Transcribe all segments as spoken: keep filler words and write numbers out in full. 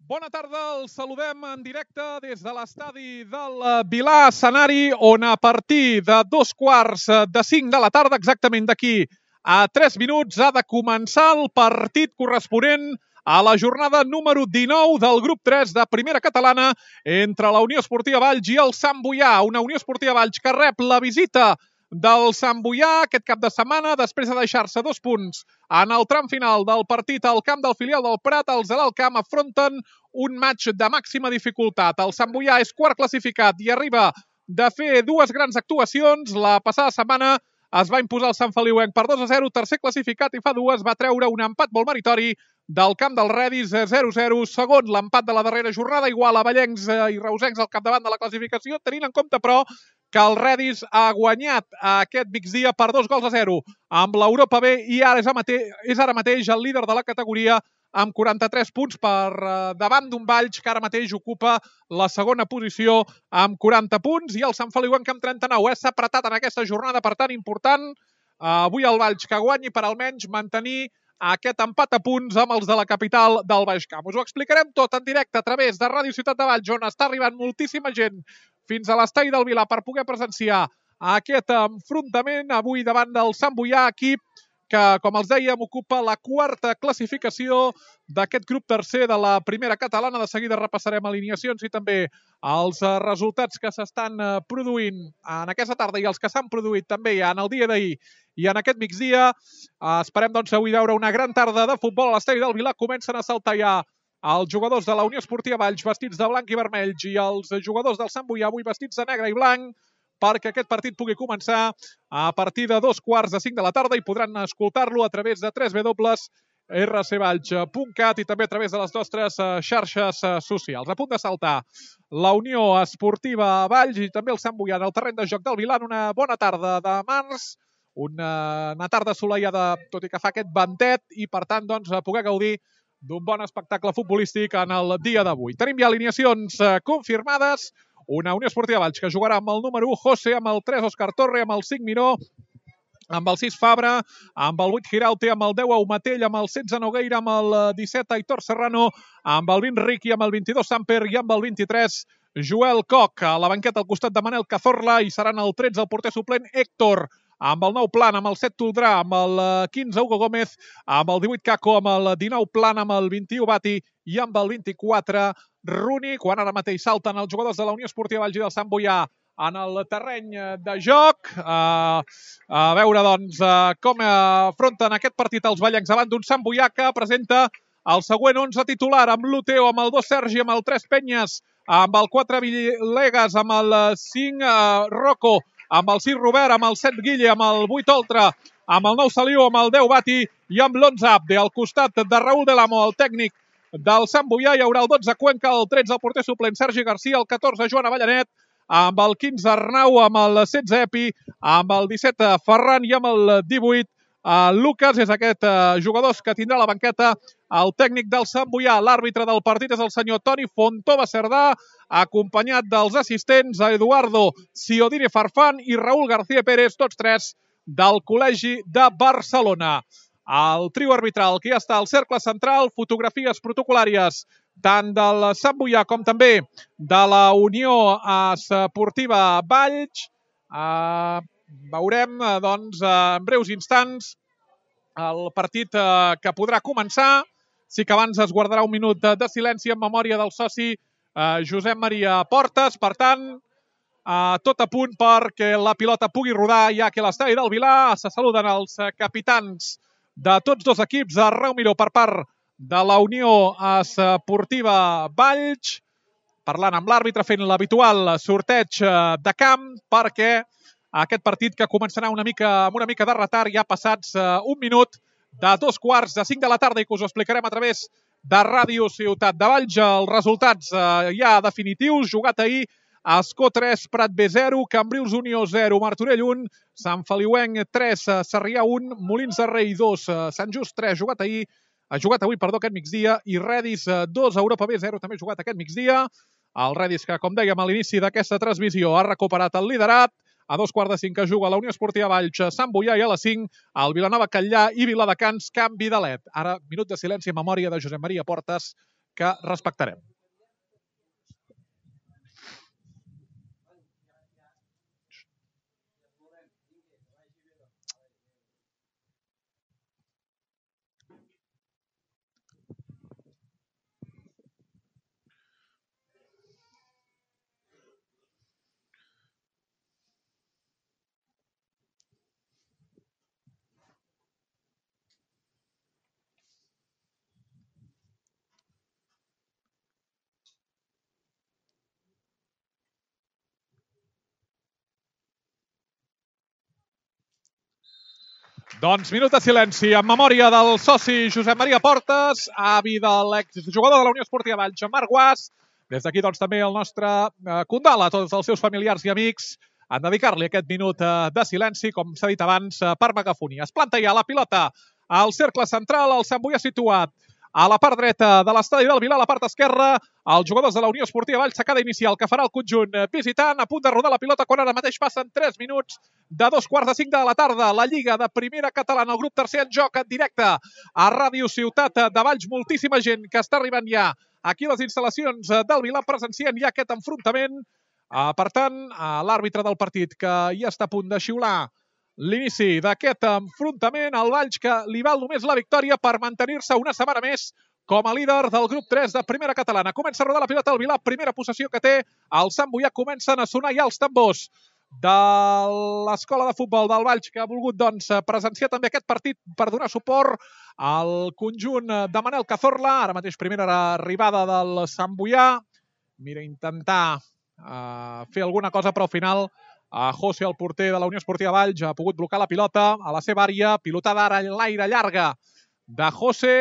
Bona tarda, els saludem en directe des de l'estadi del Vilà, escenari on a partir de dos quarts de cinc de la tarda, exactament d'aquí a tres minuts, ha de començar el partit corresponent a la jornada número dinou del grup tres de Primera Catalana entre la Unió Esportiva Valls i el Sant Boià. Una Unió Esportiva Valls que rep la visita del Sant Boià aquest cap de setmana, després de deixar-se dos punts en el tram final del partit al camp del filial del Prat. Els de l'Alt Camp afronten un match de màxima dificultat. El Sant Boià és quart classificat i arriba de fer dues grans actuacions. La passada setmana es va imposar el Sant Feliuenc per dos a zero, tercer classificat, i fa dues va treure un empat molt meritori del camp del Redis, zero a zero. Segon, l'empat de la darrera jornada, igual a Vallencs i Reusencs al capdavant de la classificació, tenint en compte, però, que el Redis ha guanyat aquest migdia per dos gols a zero amb l'Europa B i ara és, mate és ara mateix el líder de la categoria amb quaranta-tres punts per davant d'un Valls que ara mateix ocupa la segona posició amb quaranta punts, i el Sant Feliuenc amb trenta-nou. S'ha apretat en aquesta jornada, per tant, important avui el Valls que guanyi per almenys mantenir aquest empat a punts amb els de la capital del Baix Camp. Us ho explicarem tot en directe a través de Ràdio Ciutat de Valls, on està arribant moltíssima gent fins a l'estadi del Vilà per poder presenciar aquest enfrontament avui davant del Sant Boià, equip que, com els dèiem, ocupa la quarta classificació d'aquest grup tercer de la Primera Catalana. De seguida repassarem alineacions i també els resultats que s'estan produint en aquesta tarda i els que s'han produït també en el dia d'ahir i en aquest migdia. Esperem, doncs, avui veure una gran tarda de futbol a l'estadi del Vilà. Comencen a saltar ja els jugadors de la Unió Esportiva Valls vestits de blanc i vermell i els jugadors del Sant Boià avui vestits de negre i blanc, perquè aquest partit pugui començar a partir de dos quarts de cinc de la tarda i podran escoltar-lo a través de w w w punt r c valls punt cat i també a través de les nostres xarxes socials. A punt de saltar la Unió Esportiva Valls i també el Sant Boià en el terreny de joc del Vilà en una bona tarda de març, una, una tarda assolellada, tot i que fa aquest ventet, i per tant, doncs, poder gaudir d'un bon espectacle futbolístic en el dia d'avui. Tenim ja alineacions confirmades. Una Unió Esportiva Valls que jugarà amb el número u José, amb el tres Òscar Torre, amb el cinc Miró, amb el sis Fabra, amb el vuit Giraute, amb el deu Aumatell, amb el setze Nogueira, amb el disset Aitor Serrano, amb el vint Riqui, amb el vint-i-dos Samper i amb el vint-i-tres Joel Coc. A la banqueta al costat de Manel Cazorla i seran el tretze el porter suplent Héctor, amb el nou Plan, amb el set Toldrà, amb el quinze Hugo Gómez, amb el divuit Caco, amb el dinou Plan, amb el vint-i-u Bati i amb el vint-i-quatre Runi, quan ara mateix salten els jugadors de la Unió Esportiva Valls i del Sant Boià en el terreny de joc. Uh, a veure, doncs, uh, com afronten aquest partit els vallencs davant d'un Sant Boià que presenta el següent onze titular, amb l'Uteo, amb el dos Sergi, amb el tres Penyes, amb el quatre Villegas, amb el cinc uh, Rocco, amb el sis Robert, amb el set Guille, amb el vuit Oltra, amb el nou Saliu, amb el deu Bati i amb l'onze Abde. Al costat de Raúl Delamo, el tècnic del Sant Boià, hi haurà el dotze Cuenca, el tretze el porter suplent Sergi Garcia, el catorze Joan Avellanet, amb el quinze Arnau, amb el setze Epi, amb el disset Ferran i amb el divuit Lucas. És aquest jugadors que tindrà la banqueta el tècnic del Sant Boià. L'àrbitre del partit és el senyor Toni Fontova Cerdà, acompanyat dels assistents Eduardo Ciodini Farfán i Raúl García Pérez, tots tres del Col·legi de Barcelona. El trio arbitral que ja està al cercle central, fotografies protocolàries tant del Sant Boià com també de la Unió Esportiva Valls. Uh, veurem, doncs, en breus instants el partit uh, que podrà començar. Sí que abans es guardarà un minut de silenci en memòria del soci uh, Josep Maria Portes. Per tant, uh, tot a punt perquè la pilota pugui rodar ja que a l'estadi del Vilà. Se saluden els capitans de tots dos equips. Arnau Miró per part de la Unió Esportiva Valls, parlant amb l'àrbitre, fent l'habitual sorteig de camp, perquè aquest partit que començarà una mica, amb una mica de retard, ja passats un minut de dos quarts de cinc de la tarda, i que us ho explicarem a través de Ràdio Ciutat de Valls. Els resultats ja definitius, jugat ahir: Escó tres, Prat B zero, Cambrils Unió zero, Martorell un, Sant Feliuenc tres, Sarrià un, Molins de Rei dos, Sant Just tres, jugat ahir, ha jugat avui, perdó, aquest migdia, i Redis dos, Europa B zero, també jugat aquest migdia. El Redis que, com dèiem a l'inici d'aquesta transmissió, ha recuperat el liderat. A dos quarts de cinc que juga la Unió Esportiva Valls, Sant Boià, i a les cinc el Vilanova Catllà i Viladecans, canvi de led. Ara, minut de silenci en memòria de Josep Maria Portes, que respectarem. Doncs minut de silenci en memòria del soci Josep Maria Portes, avi de l'exjugador de la Unió Esportiva Valls, Marc Guàs. Des d'aquí doncs també el nostre eh, condol a tots els seus familiars i amics en dedicar-li aquest minut eh, de silenci, com s'ha dit abans, eh, per megafonia. Es planta ja la pilota al cercle central, el Sant Boià situat a la part dreta de l'estadi del Vilar, a la part esquerra, els jugadors de la Unió Esportiva Valls, secada inicial que farà el conjunt visitant, a punt de rodar la pilota quan ara mateix passen tres minuts de dos quarts de cinc de la tarda. La Lliga de Primera Catalana, el grup tercer en joc en directe a Ràdio Ciutat de Valls. Moltíssima gent que està arribant ja aquí a les instal·lacions del Vilar, presencient ja aquest enfrontament. Per tant, l'àrbitre del partit que ja està a punt de xiular l'inici d'aquest enfrontament, el Valls que li val només la victòria per mantenir-se una setmana més com a líder del grup tres de Primera Catalana. Comença a rodar la pilota al Vilar, primera possessió que té el Sant Boià. Comencen a sonar ja els tambors de l'escola de futbol del Valls, que ha volgut doncs, presenciar també aquest partit per donar suport al conjunt de Manel Cazorla. Ara mateix primera arribada del Sant Boià. Mira, intentar uh, fer alguna cosa, però al final uh, José, el porter de la Unió Esportiva Valls, ha pogut blocar la pilota a la seva àrea. Pilotada ara en l'aire llarga de José.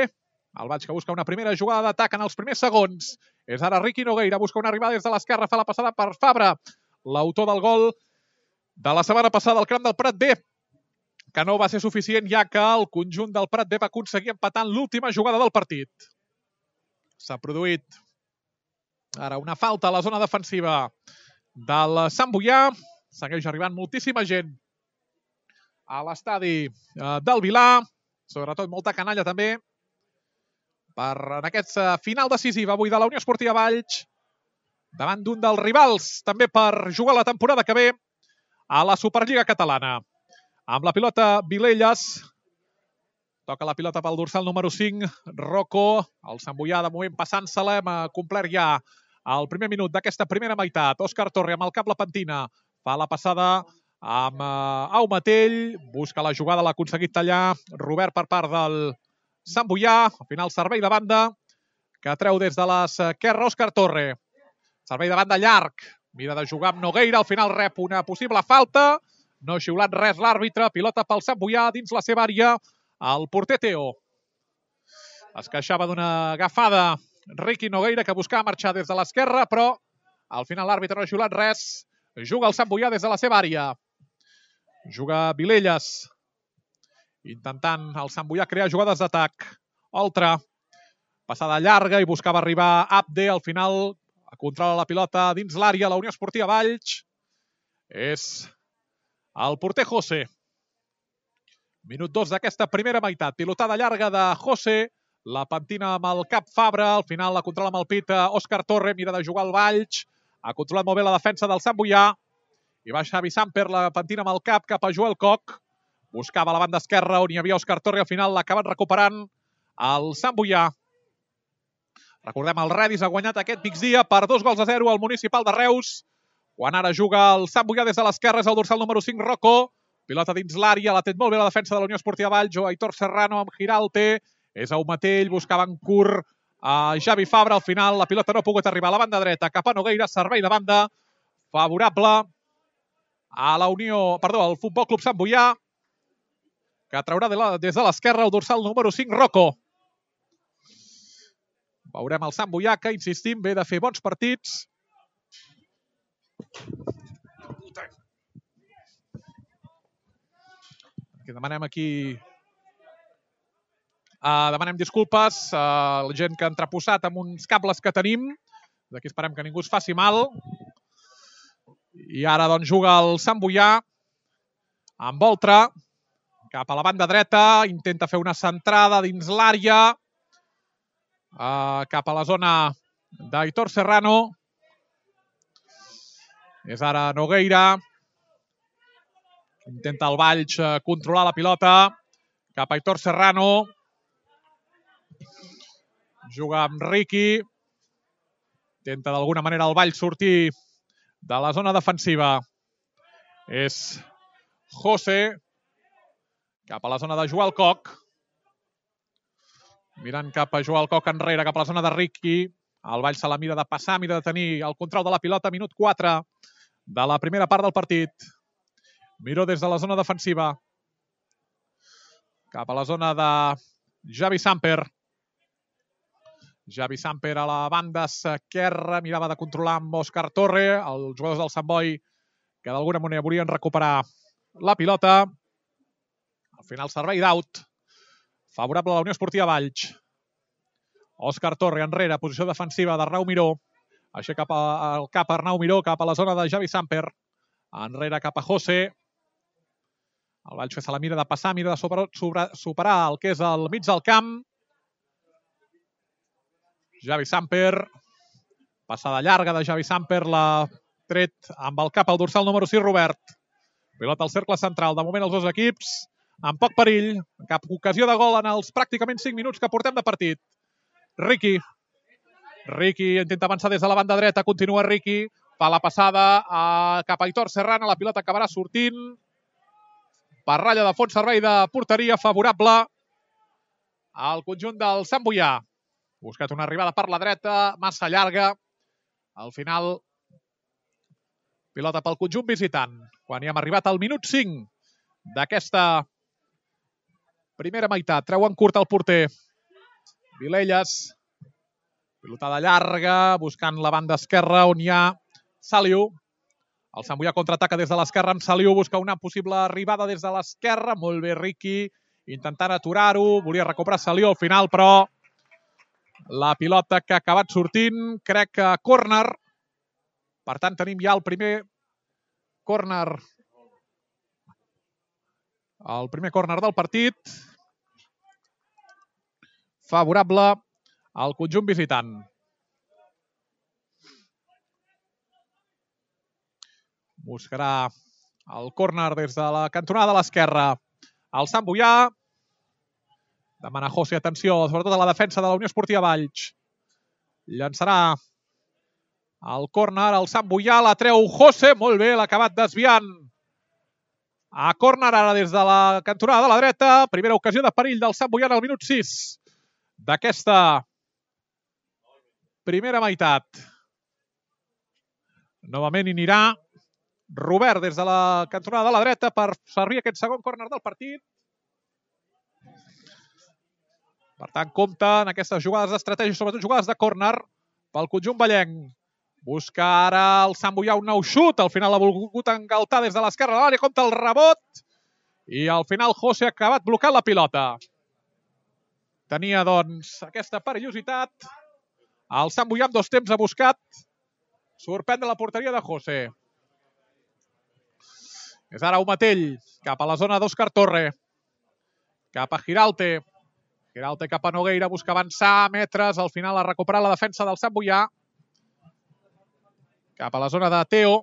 El Valls que busca una primera jugada d'atac en els primers segons. És ara Riqui Nogueira, busca una arribada des de l'esquerra, fa la passada per Fabra, l'autor del gol de la setmana passada al camp del Prat B, que no va ser suficient, ja que el conjunt del Prat B va aconseguir empatar en l'última jugada del partit. S'ha produït ara una falta a la zona defensiva del Sant Boià. Segueix arribant moltíssima gent a l'estadi del Vilar, sobretot molta canalla també, per en aquest final decisiu avui de la Unió Esportiva Valls, davant d'un dels rivals, també per jugar la temporada que ve a la Superliga Catalana. Amb la pilota Vilelles, toca la pilota pel dorsal número cinc, Rocco, el Sant Boià de moment passant-se-la, hem complert ja el primer minut d'aquesta primera meitat. Òscar Torre amb el cap la pentina, fa la passada amb Au Matell, busca la jugada, l'ha aconseguit tallar Robert per part del Sant Boià, al final servei de banda, que treu des de l'esquerra Òscar Torre. Servei de banda llarg, mira de jugar amb Nogueira, al final rep una possible falta, no ha xiulat res l'àrbitre, pilota pel Sant Boià dins la seva àrea, el porter Teo. Es queixava d'una agafada Riqui Nogueira, que buscava marxar des de l'esquerra, però al final l'àrbitre no ha xiulat res, juga el Sant Boià des de la seva àrea. Juga Vilelles, intentant el Sant Boià crear jugades d'atac. Oltra, passada llarga i buscava arribar Abde, al final controla la pilota dins l'àrea, la Unió Esportiva Valls. És el porter José. Minut dos d'aquesta primera meitat. Pilotada llarga de José, la pentina amb el cap Fabra, al final la controla amb el pit Òscar Torre, mira de jugar al Valls, ha controlat molt bé la defensa del Sant Boià, i va Xavi Samper, la pentina amb el cap cap a Joel Koch. Buscava la banda esquerra on hi havia Òscar Torre, al final l'ha acabat recuperant el Sant Boià. Recordem, el Redis ha guanyat aquest migdia per dos gols a zero al Municipal de Reus, quan ara juga el Sant Boià des de l'esquerra, és el dorsal número cinc, Rocco. Pilota dins l'àrea, l'ha tret molt bé la defensa de la Unió Esportiva Valls, Aitor Serrano amb Giralte, és Au Matell, buscava en curt a Xavi Fabra, al final la pilota no ha pogut arribar a la banda dreta, cap a Nogueira, servei de banda favorable a la Unió, perdó, al Futbol Club Sant Boià, que traurà des de l'esquerra el dorsal número cinc, Rocco. Veurem el Sant Boià, que, insistim, ve de fer bons partits. Demanem aquí... Uh, demanem disculpes a la gent que ha entreposat amb uns cables que tenim. D'aquí esperem que ningú es faci mal. I ara doncs juga el Sant Boià amb Oltra cap a la banda dreta, intenta fer una centrada dins l'àrea. uh, cap a la zona d'Aitor Serrano. És ara Nogueira. Intenta el Valls controlar la pilota. Cap a Aitor Serrano. Juga amb Riqui. Intenta d'alguna manera el Valls sortir de la zona defensiva. És José. Cap a la zona de Joel Coc. Mirant cap a Joel Coc enrere, cap a la zona de Riqui. El Valls se la mira de passar, mira de tenir el control de la pilota. Minut quatre de la primera part del partit. Miró des de la zona defensiva. Cap a la zona de Javi Samper. Javi Samper a la banda esquerra. Mirava de controlar amb Òscar Torre. Els jugadors del Sant Boi que d'alguna manera volien recuperar la pilota. Al final servei d'aut. Favorable a la Unió Esportiva Valls. Òscar Torre enrere, posició defensiva d'Arnau Miró. Aixeca el cap Arnau Miró cap a la zona de Javi Samper. Enrere cap a José. El Valls se la mira de passar, mira de sobre, sobre, superar el que és el mig del camp. Javi Samper. Passada llarga de Javi Samper, la tret amb el cap al dorsal número sis, Robert. Pilota al cercle central. De moment els dos equips amb poc perill. Cap ocasió de gol en els pràcticament cinc minuts que portem de partit. Riqui. Riqui intenta avançar des de la banda dreta. Continua Riqui. Fa la passada a cap a Aitor Serrano. La pilota acabarà sortint. Per ratlla de fons, servei de porteria favorable al conjunt del Sant Boià. Buscat una arribada per la dreta, massa llarga. Al final, pilota pel conjunt visitant. Quan hi hem arribat al minut cinc d'aquesta primera meitat. Treu en curt el porter. Vilelles. Pilotada llarga, buscant la banda esquerra on hi ha Saliu. El Sant Boià contraataca des de l'esquerra amb Saliu. Busca una possible arribada des de l'esquerra. Molt bé, Riqui. Intentant aturar-ho. Volia recuperar Saliu al final, però la pilota que ha acabat sortint, crec que córner. Per tant, tenim ja el primer córner. El primer córner del partit. Favorable al conjunt visitant. Buscarà el córner des de la cantonada de l'esquerra. El Sant Boià. Demana José, atenció, sobretot a la defensa de la Unió Esportiva Valls. Llançarà el córner, el Sant Boià, la treu José, molt bé, l'ha acabat desviant. A córner ara des de la cantonada de la dreta. Primera ocasió de perill del Sant Boià al minut sis d'aquesta primera meitat. Novament hi anirà Robert des de la cantonada de la dreta per servir aquest segon córner del partit. Per tant, compta en aquestes jugades d'estratègia, sobretot jugades de córner pel conjunt vallenc. Busca ara el Sant Boià un nou xut. Al final l'ha volgut engaltar des de l'esquerra de l'àrea. Compta el rebot. I al final José ha acabat blocant la pilota. Tenia, doncs, aquesta perillositat. El Sant Boià amb dos temps ha buscat sorprendre la porteria de José. És ara Umatell, cap a la zona d'Òscar Torre. Cap a Giralte. Giralte cap a Nogueira, busca avançar, metres. Al final ha recuperat la defensa del Sant Boià. Cap a la zona de Teo.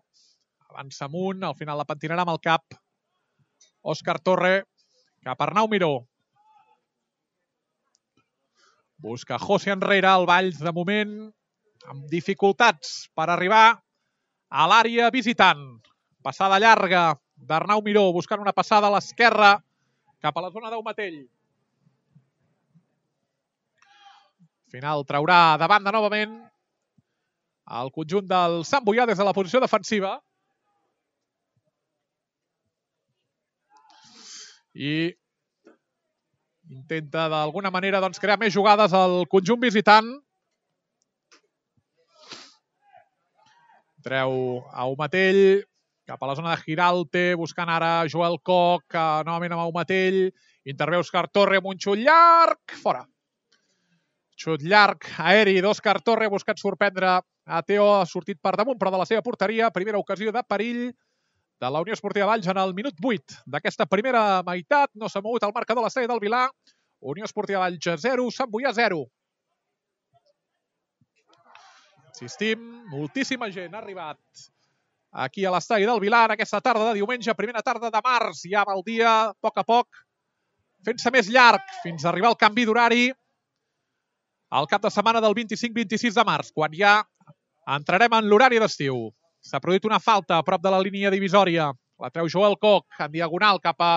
Avança amunt, al final la pentinarà amb el cap. Òscar Torre, cap a Arnau Miró. Busca José enrere, el Valls de moment amb dificultats per arribar a l'àrea visitant. Passada llarga d'Arnau Miró, buscant una passada a l'esquerra cap a la zona d'Umatell. Final traurà de banda novament el conjunt del Sant Boià des de la posició defensiva. I intenta d'alguna manera doncs, crear més jugades al conjunt visitant. Treu a Umatell cap a la zona de Giralte, buscant ara Joel Coc, novament amb Umatell. Intervé Òscar Torre amb un xut llarg. Fora. Xut llarg, aeri d'Òscar Torre, buscat sorprendre a Teo, ha sortit per damunt, però de la seva porteria. Primera ocasió de perill de la Unió Esportiva Valls en el minut vuit d'aquesta primera meitat. No s'ha mogut el marcador a l'estadi del Vilar. Unió Esportiva Valls zero, Sant Boià zero. Insistim, moltíssima gent ha arribat aquí a l'estadi del Vilar aquesta tarda de diumenge, primera tarda de març. Ja va el dia, a poc a poc, fent-se més llarg fins a arribar al canvi d'horari al cap de setmana del vint-i-cinc vint-i-sis de març, quan ja entrarem en l'horari d'estiu. S'ha produït una falta a prop de la línia divisòria. La treu Joel Koch, en diagonal cap a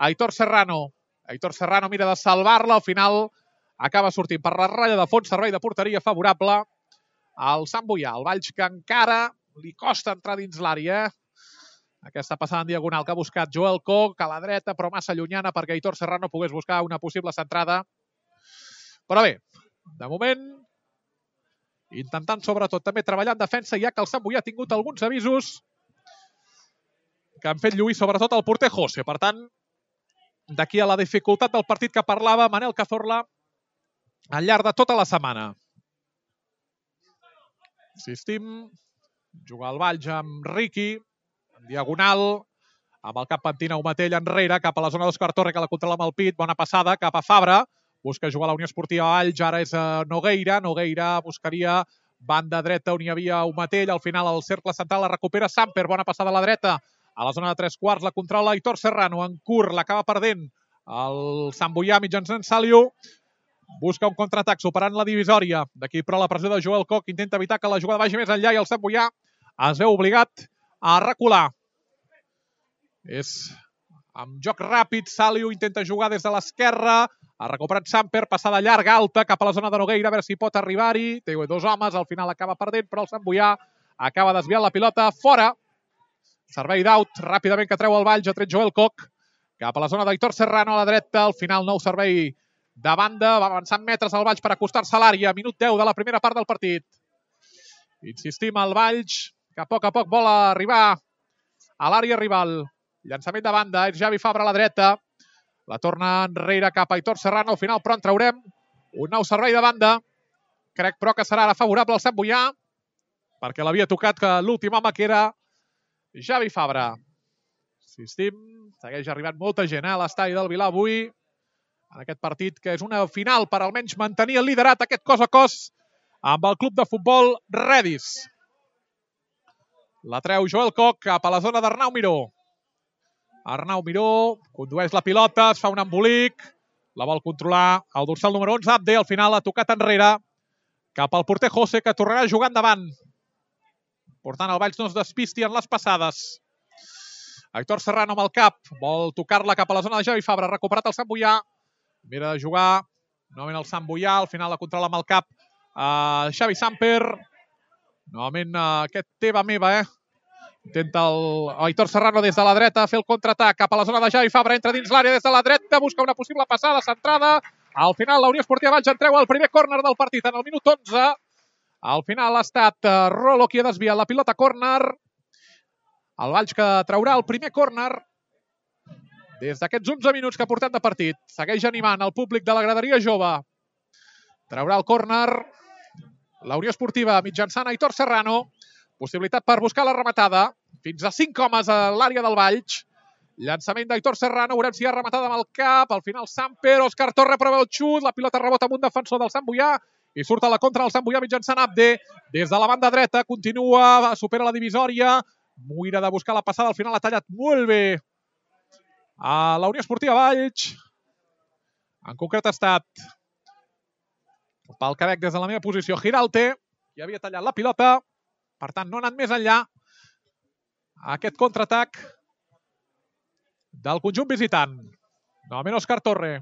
Aitor Serrano. Aitor Serrano mira de salvar-la, al final acaba sortint per la ratlla de fons, servei de porteria favorable al Sant Boià. El Valls que encara li costa entrar dins l'àrea. Aquesta passada en diagonal que ha buscat Joel Koch a la dreta, però massa llunyana perquè Aitor Serrano pogués buscar una possible centrada. Però bé, de moment, intentant sobretot també treballar en defensa, ja que el Sant Boià ha tingut alguns avisos que han fet lluir sobretot el porter José. Per tant, d'aquí a la dificultat del partit que parlava Manel Cazorla al llarg de tota la setmana. Insistim, jugar al Valls amb Riqui, en diagonal, amb el cap pentina Umatell enrere, cap a la zona d'Òscar Torre, que la controla amb el pit, bona passada, cap a Fabra, busca jugar a la Unió Esportiva Valls, ara és Nogueira, Nogueira buscaria banda dreta on hi havia Umatell, al final el cercle central la recupera Samper, bona passada a la dreta, a la zona de tres quarts la controla Aitor Serrano, en curt, l'acaba perdent el Sant Boià mitjançant Saliu, busca un contraatac superant la divisòria, d'aquí però la pressió de Joel Koch, intenta evitar que la jugada vagi més enllà i el Sant Boià es veu obligat a recular. És amb joc ràpid, Saliu intenta jugar des de l'esquerra, ha recuperat Samper, passada llarga, alta, cap a la zona de Nogueira, a veure si pot arribar-hi, té dos homes, al final acaba perdent, però el Sant Boià acaba desviant la pilota fora. Servei d'aut, ràpidament que treu el Valls, ha tret Joel Koch, cap a la zona d'Aitor Serrano a la dreta, al final nou servei de banda, va avançant metres al Valls per acostar-se a l'àrea, minut deu de la primera part del partit. Insistim al Valls, que a poc a poc vol arribar a l'àrea rival. Llançament de banda, és Javi Fabra a la dreta, la torna enrere cap a Aitor Serrano, al final però en traurem un nou servei de banda, crec però que serà ara favorable al Sant Boià, perquè l'havia tocat que l'últim home que era Javi Fabra. Insistim, segueix arribant molta gent eh, a l'estadi del Vilar avui, en aquest partit que és una final per almenys mantenir el liderat aquest cos a cos amb el club de futbol Redis. La treu Joel Koch cap a la zona d'Arnau Miró. Arnau Miró condueix la pilota, es fa un embolic, la vol controlar el dorsal número onze, Abde, al final ha tocat enrere cap al porter José, que tornarà a jugar endavant. Portant el Valls no es despisti en les passades. Aitor Serrano amb el cap, vol tocar-la cap a la zona de Javi Fabra, recuperat el Sant Boià, mira de jugar, novament el Sant Boià, al final la controla amb el cap uh, Xavi Samper, novament uh, aquest teva meva, eh? Intenta el Aitor Serrano des de la dreta fer el contraatac cap a la zona de Javi Fabra, entra dins l'àrea des de la dreta, busca una possible passada centrada, al final la Unió Esportiva Valls en treu el primer córner del partit en el minut onze. Al final ha estat uh, Rolo qui ha desviat la pilota córner. El Valls que traurà el primer córner des d'aquests onze minuts que ha portat de partit. Segueix animant el públic de la graderia jove. Traurà el córner la Unió Esportiva mitjançant Aitor Serrano. Possibilitat per buscar la rematada. Fins a cinc homes a l'àrea del Valls. Llançament d'Aitor Serrano. Veurem si hi ha rematada amb el cap. Al final Samper, Òscar Torre prova el xut. La pilota rebota amb un defensor del Sant Boià. I surt a la contra del Sant Boià mitjançant Abde. Des de la banda dreta continua, supera la divisòria. Mira de buscar la passada. Al final ha tallat molt bé a la Unió Esportiva Valls. En concret ha estat pel Quebec des de la meva posició Giralte, qui havia tallat la pilota. Per tant, no ha anat més enllà aquest contraatac del conjunt visitant. Novament Òscar Torre.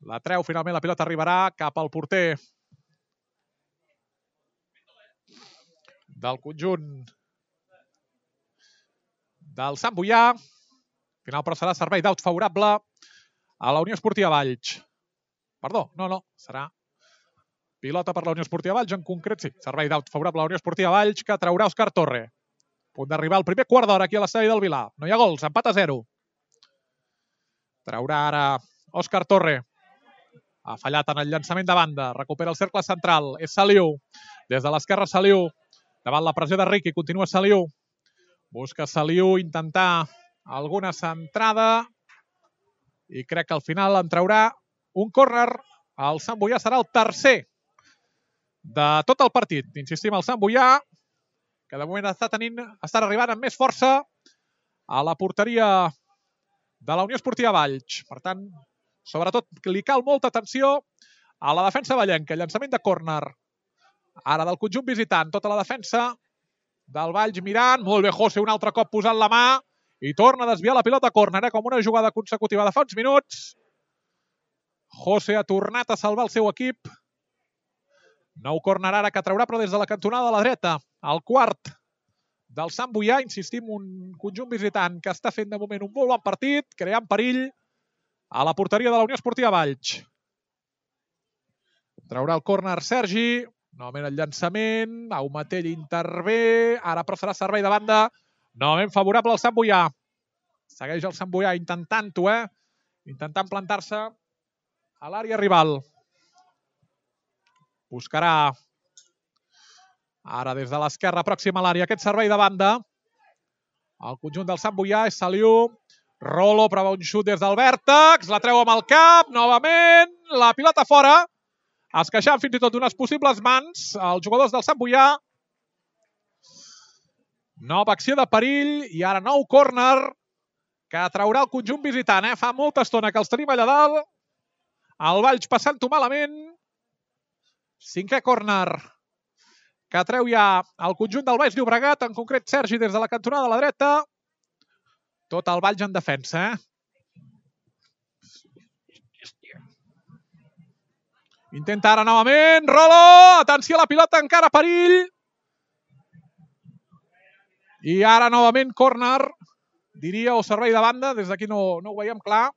La treu, finalment la pilota arribarà cap al porter del conjunt del Sant Boià. Final però serà servei d'aut favorable a la Unió Esportiva Valls. Perdó, no, no, serà pilota per la Unió Esportiva Valls, en concret sí, servei d'aut favorable a la Unió Esportiva Valls, que traurà Òscar Torre. A punt d'arribar al primer quart d'hora aquí a l'estadi del Vilar. No hi ha gols, empat a zero. Traurà ara Òscar Torre. Ha fallat en el llançament de banda, recupera el cercle central, és Saliu. Des de l'esquerra Saliu, davant la pressió de Riqui, continua Saliu. Busca Saliu intentar alguna centrada i crec que al final en traurà un córner. El Sant Boià serà el tercer de tot el partit. Insistim, el Sant Boià, que de moment està tenint, està arribant amb més força a la porteria de la Unió Esportiva Valls. Per tant, sobretot li cal molta atenció a la defensa vallenca. Llançament de córner. Ara del conjunt visitant. Tota la defensa del Valls mirant. Molt bé, José, un altre cop posant la mà i torna a desviar la pilota a córner, eh? Com una jugada consecutiva de fa uns minuts. José ha tornat a salvar el seu equip. Nou córner ara que traurà, però des de la cantonada de la dreta. El quart del Sant Boià, insistim, un conjunt visitant que està fent de moment un molt bon partit, creant perill a la porteria de la Unió Esportiva Valls. Traurà el córner Sergi, novament el llançament, Aumatell intervé, ara però serà servei de banda, novament favorable al Sant Boià. Segueix el Sant Boià intentant-ho, eh? Intentant plantar-se a l'àrea rival. Buscarà ara des de l'esquerra pròxima a l'àrea aquest servei de banda. El conjunt del Sant Boià és Saliu. Rolo prova un xut des del vèrtex. La treu amb el cap. Novament. La pilota fora. Es queixant fins i tot d'unes possibles mans. Els jugadors del Sant Boià. Nova acció de perill. I ara nou córner que traurà el conjunt visitant. Eh? Fa molta estona que els tenim allà dalt. El Valls passant-ho malament. Cinquè córner que treu ja el conjunt del Baix Llobregat, en concret Sergi des de la cantonada de la dreta. Tot el Valls en defensa. Eh? Intenta ara novament. Rolo! Atenció a la pilota, encara perill. I ara novament córner, diria, o servei de banda. Des d'aquí no, no ho veiem clar.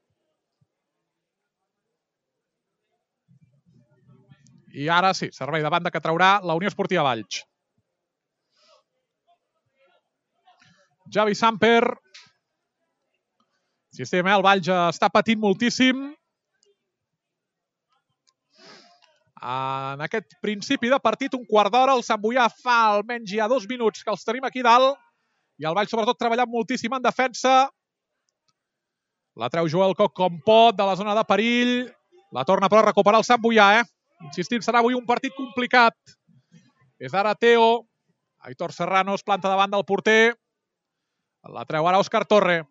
I ara sí, servei de banda que traurà la Unió Esportiva Valls. Javi Samper. Insistim, eh? El Valls està patint moltíssim. En aquest principi de partit, un quart d'hora, el Sant Boià fa almenys ja dos minuts que els tenim aquí dalt. I el Valls sobretot treballant moltíssim en defensa. La treu Joel Coc com pot, de la zona de perill. La torna però a recuperar el Sant Boià, eh? Insistim, serà avui un partit complicat. És ara Teo. Aitor Serrano es planta davant del porter. La treu ara Òscar Torre.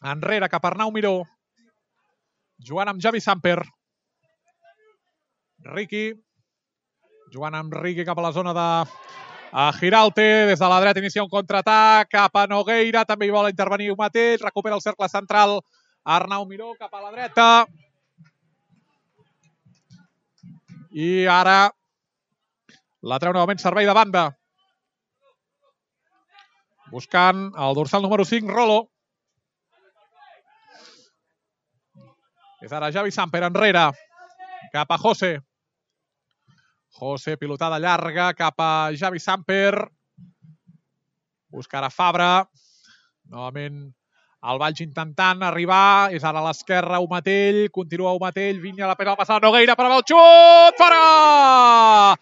Enrere cap a Arnau Miró. Jugant amb Javi Samper. Riqui. Jugant amb Riqui cap a la zona de Giralte. Des de la dreta inicia un contraatac. Cap a Nogueira. També hi vol intervenir un mateix. Recupera el cercle central. Arnau Miró cap a la dreta. I ara la treu novament servei de banda. Buscant el dorsal número cinc, Rolo. És ara Javi Samper enrere. Cap a José. José, pilotada llarga, cap a Javi Samper. Buscarà Fabra. Novament el Valls intentant arribar, és ara a l'esquerra Aumatell, continua Aumatell, Vinya la pena passar a Nogueira per al xut, fora!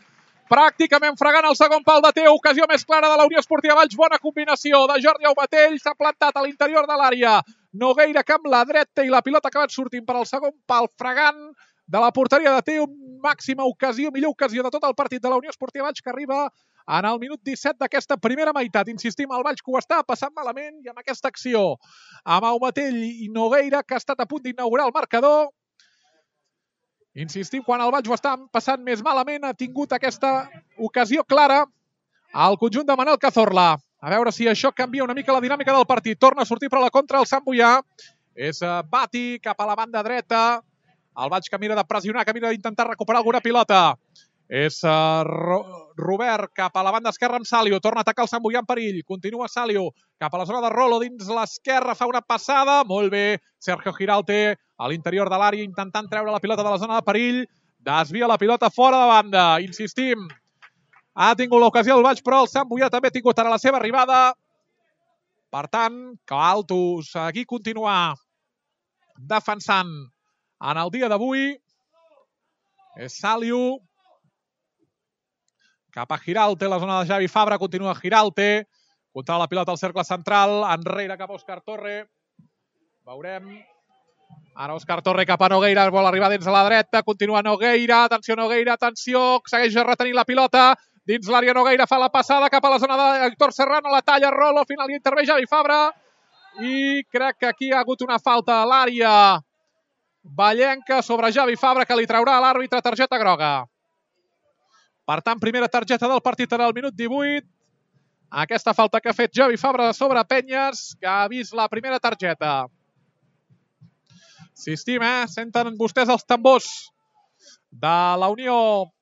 Pràcticament fregant el segon pal de Teo, ocasió més clara de la Unió Esportiva Valls, bona combinació de Jordi Aumatell, s'ha plantat a l'interior de l'àrea, Nogueira que amb la dreta i la pilota ha acabat sortint per al segon pal, fregant de la porteria de Teo, màxima ocasió, millor ocasió de tot el partit de la Unió Esportiva Valls, que arriba en el minut disset d'aquesta primera meitat. Insistim, el Valls que ho està passant malament i amb aquesta acció amb Aumatell i Nogueira, que ha estat a punt d'inaugurar el marcador. Insistim, quan el Valls ho està passant més malament, ha tingut aquesta ocasió clara al conjunt de Manel Cazorla. A veure si això canvia una mica la dinàmica del partit. Torna a sortir per la contra el Sant Boià. És Bati cap a la banda dreta. El Valls que mira de pressionar, que mira d'intentar recuperar alguna pilota. És uh, Robert cap a la banda esquerra amb Salio. Torna a atacar el Sant Boià en perill. Continua Salio cap a la zona de Rolo dins l'esquerra. Fa una passada. Molt bé. Sergio Giralte a l'interior de l'àrea intentant treure la pilota de la zona de perill. Desvia la pilota fora de banda. Insistim. Ha tingut l'ocasió el Valls, però el Sant Boià també ha tingut ara la seva arribada. Per tant, cal seguir continuar defensant en el dia d'avui. És Salio. Cap a Giralte, la zona de Javi Fabra, continua Giralte, contra la pilota al cercle central, enrere cap a Òscar Torre. Veurem Ara Òscar Torre cap a Nogueira, vol arribar dins a la dreta, continua Nogueira, atenció Nogueira, atenció, segueix retenint la pilota, dins l'àrea Nogueira fa la passada cap a la zona d'Héctor Serrano, la talla, Rolo, al final hi intervé Javi Fabra, i crec que aquí ha hagut una falta a l'àrea vallenca sobre Javi Fabra que li traurà a l'àrbitre targeta groga. Per tant, primera targeta del partit en el minut divuit. Aquesta falta que ha fet Javi Fabra sobre Penyes, que ha vist la primera targeta. Insistim, eh? Senten vostès els tambors de la Unió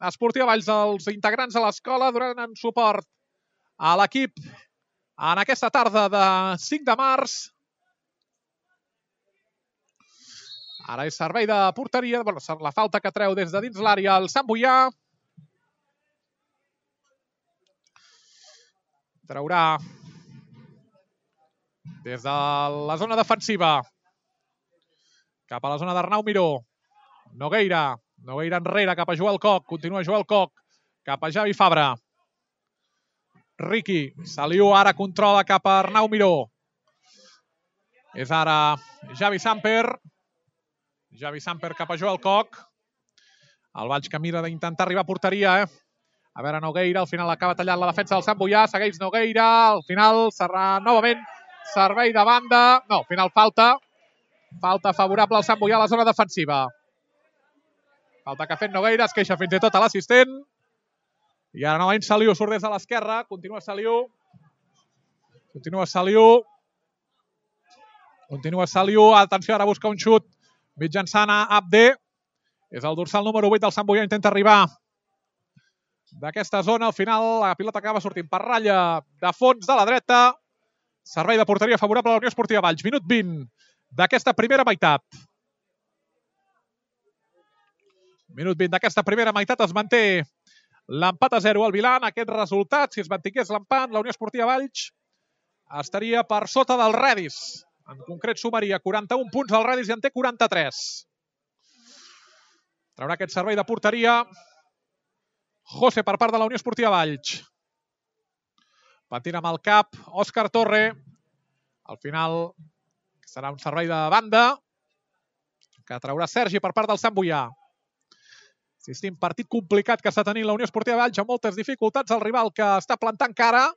Esportiva Valls, els integrants de l'escola, donant suport a l'equip en aquesta tarda de cinc de març. Ara és servei de porteria, bueno, la falta que treu des de dins l'àrea el Sant Boià. Traurà des de la zona defensiva cap a la zona d'Arnau Miró. Nogueira, Nogueira enrere cap a Joel Coc, continua Joel Coc cap a Javi Fabra. Riqui, Saliu ara controla cap a Arnau Miró. És ara Javi Samper. Javi Samper cap a Joel Coc. El Valls que mira d'intentar arribar a porteria, eh? A veure, Nogueira, al final acaba tallant la defensa del Sant Boià, segueix Nogueira, al final serà novament servei de banda. No, al final falta. Falta favorable al Sant Boià a la zona defensiva. Falta que ha fet Nogueira, es queixa fins i tot a l'assistent. I ara novament Saliu surt des de l'esquerra, continua Saliu. Continua Saliu. Continua Saliu, atenció, ara busca un xut mitjançant a Abde. És el dorsal número vuit del Sant Boià, intenta arribar d'aquesta zona. Al final la pilota acaba sortint per ratlla de fons de la dreta. Servei de porteria favorable a la Unió Esportiva Valls. Minut vint d'aquesta primera meitat. Minut vint d'aquesta primera meitat. Es manté l'empat a zero al Vilà. En aquest resultat, si es mantingués l'empat, la Unió Esportiva Valls estaria per sota del Redis. En concret sumaria quaranta-un punts al Redis i en té quaranta-tres. Traurà aquest servei de porteria José per part de la Unió Esportiva Valls. Patint amb el cap Òscar Torre. Al final serà un servei de banda que traurà Sergi per part del Sant Boià. Insistim, partit complicat que està tenint la Unió Esportiva Valls, amb moltes dificultats. El rival que està plantant cara.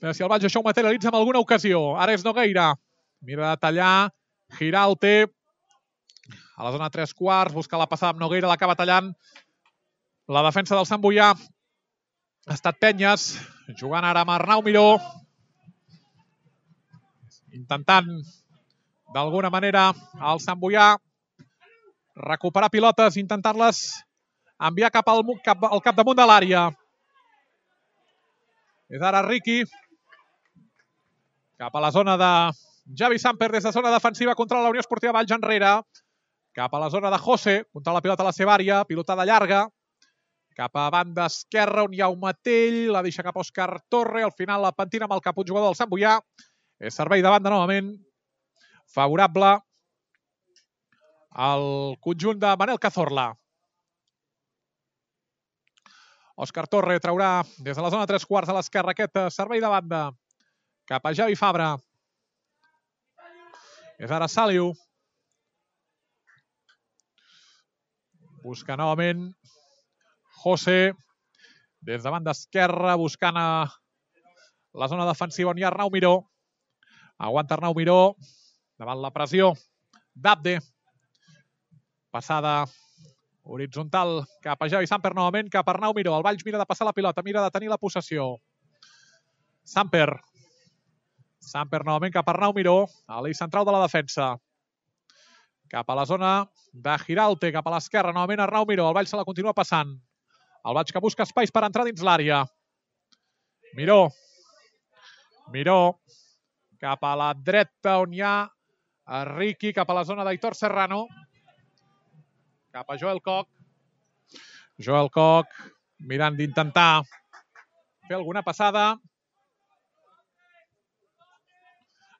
Però si el Valls això ho materialitza en alguna ocasió. Ara és Nogueira. Mira de tallar. Giralte. A la zona tres quarts. Busca la passada amb Nogueira. L'acaba tallant. La defensa del Sant Boià ha estat Penyes. Jugant ara amb Arnau Miró. Intentant, d'alguna manera, el Sant Boià recuperar pilotes, intentant-les enviar cap al, cap, al capdamunt de l'àrea. És ara Riqui. Cap a la zona de Javi Samper, des de zona defensiva contra la Unió Esportiva Valls enrere. Cap a la zona de José, contra la pilota a la seva àrea, pilotada llarga. Cap a banda esquerra, on hi ha un Matell, la deixa cap a Òscar Torre, al final la pentina amb el cap un jugador del Sant Boià. És servei de banda novament, favorable al conjunt de Manel Cazorla. Òscar Torre traurà des de la zona tres quarts a l'esquerra aquest servei de banda cap a Javi Fabra. És ara Saliu. Busca novament José des de banda esquerra, buscant a la zona defensiva on hi ha Arnau Miró. Aguanta Arnau Miró davant la pressió d'Abde. Passada horitzontal cap a Javi Samper novament, cap a Arnau Miró. El Valls mira de passar la pilota, mira de tenir la possessió. Samper. Samper novament cap a Arnau Miró, a l'eix central de la defensa. Cap a la zona de Giralte, cap a l'esquerra, novament Arnau Miró. El Valls se la continua passant. El Valls que busca espais per entrar dins l'àrea. Miró. Miró. Cap a la dreta on hi ha Riqui, cap a la zona d'Aitor Serrano. Cap a Joel Coc. Joel Coc mirant d'intentar fer alguna passada.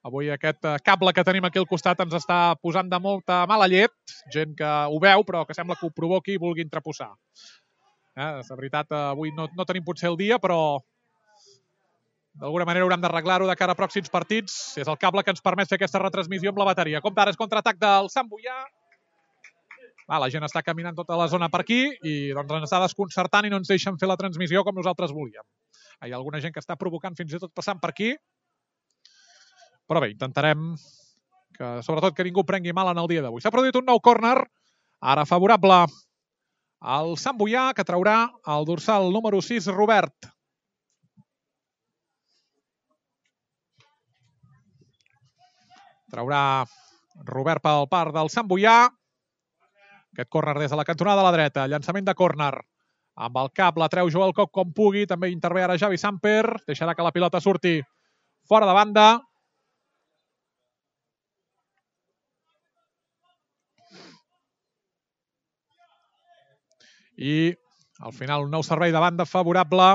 Avui aquest cable que tenim aquí al costat ens està posant de molta mala llet. Gent que ho veu, però que sembla que ho provoqui i vulgui entreposar. Eh, la veritat, avui no, no tenim potser el dia, però D'alguna manera haurem d'arreglar-ho de cara a pròxims partits. És el cable que ens permet fer aquesta retransmissió amb la bateria. Compte ara és contraatac del Sant Boià. Ah, la gent està caminant tota la zona per aquí i doncs ens està desconcertant i no ens deixen fer la transmissió com nosaltres volíem. Hi ha alguna gent que està provocant fins i tot passant per aquí. Però bé, intentarem que, sobretot, que ningú prengui mal en el dia d'avui. S'ha produït un nou córner, ara favorable al Sant Boià, que traurà el dorsal número sis, Robert. Traurà Robert pel part del Sant Boià. Aquest córner des de la cantonada a la dreta. Llançament de córner. Amb el cap la treu Joel Coc com pugui. També intervé ara Javi Samper. Deixarà que la pilota surti fora de banda. I al final un nou servei de banda favorable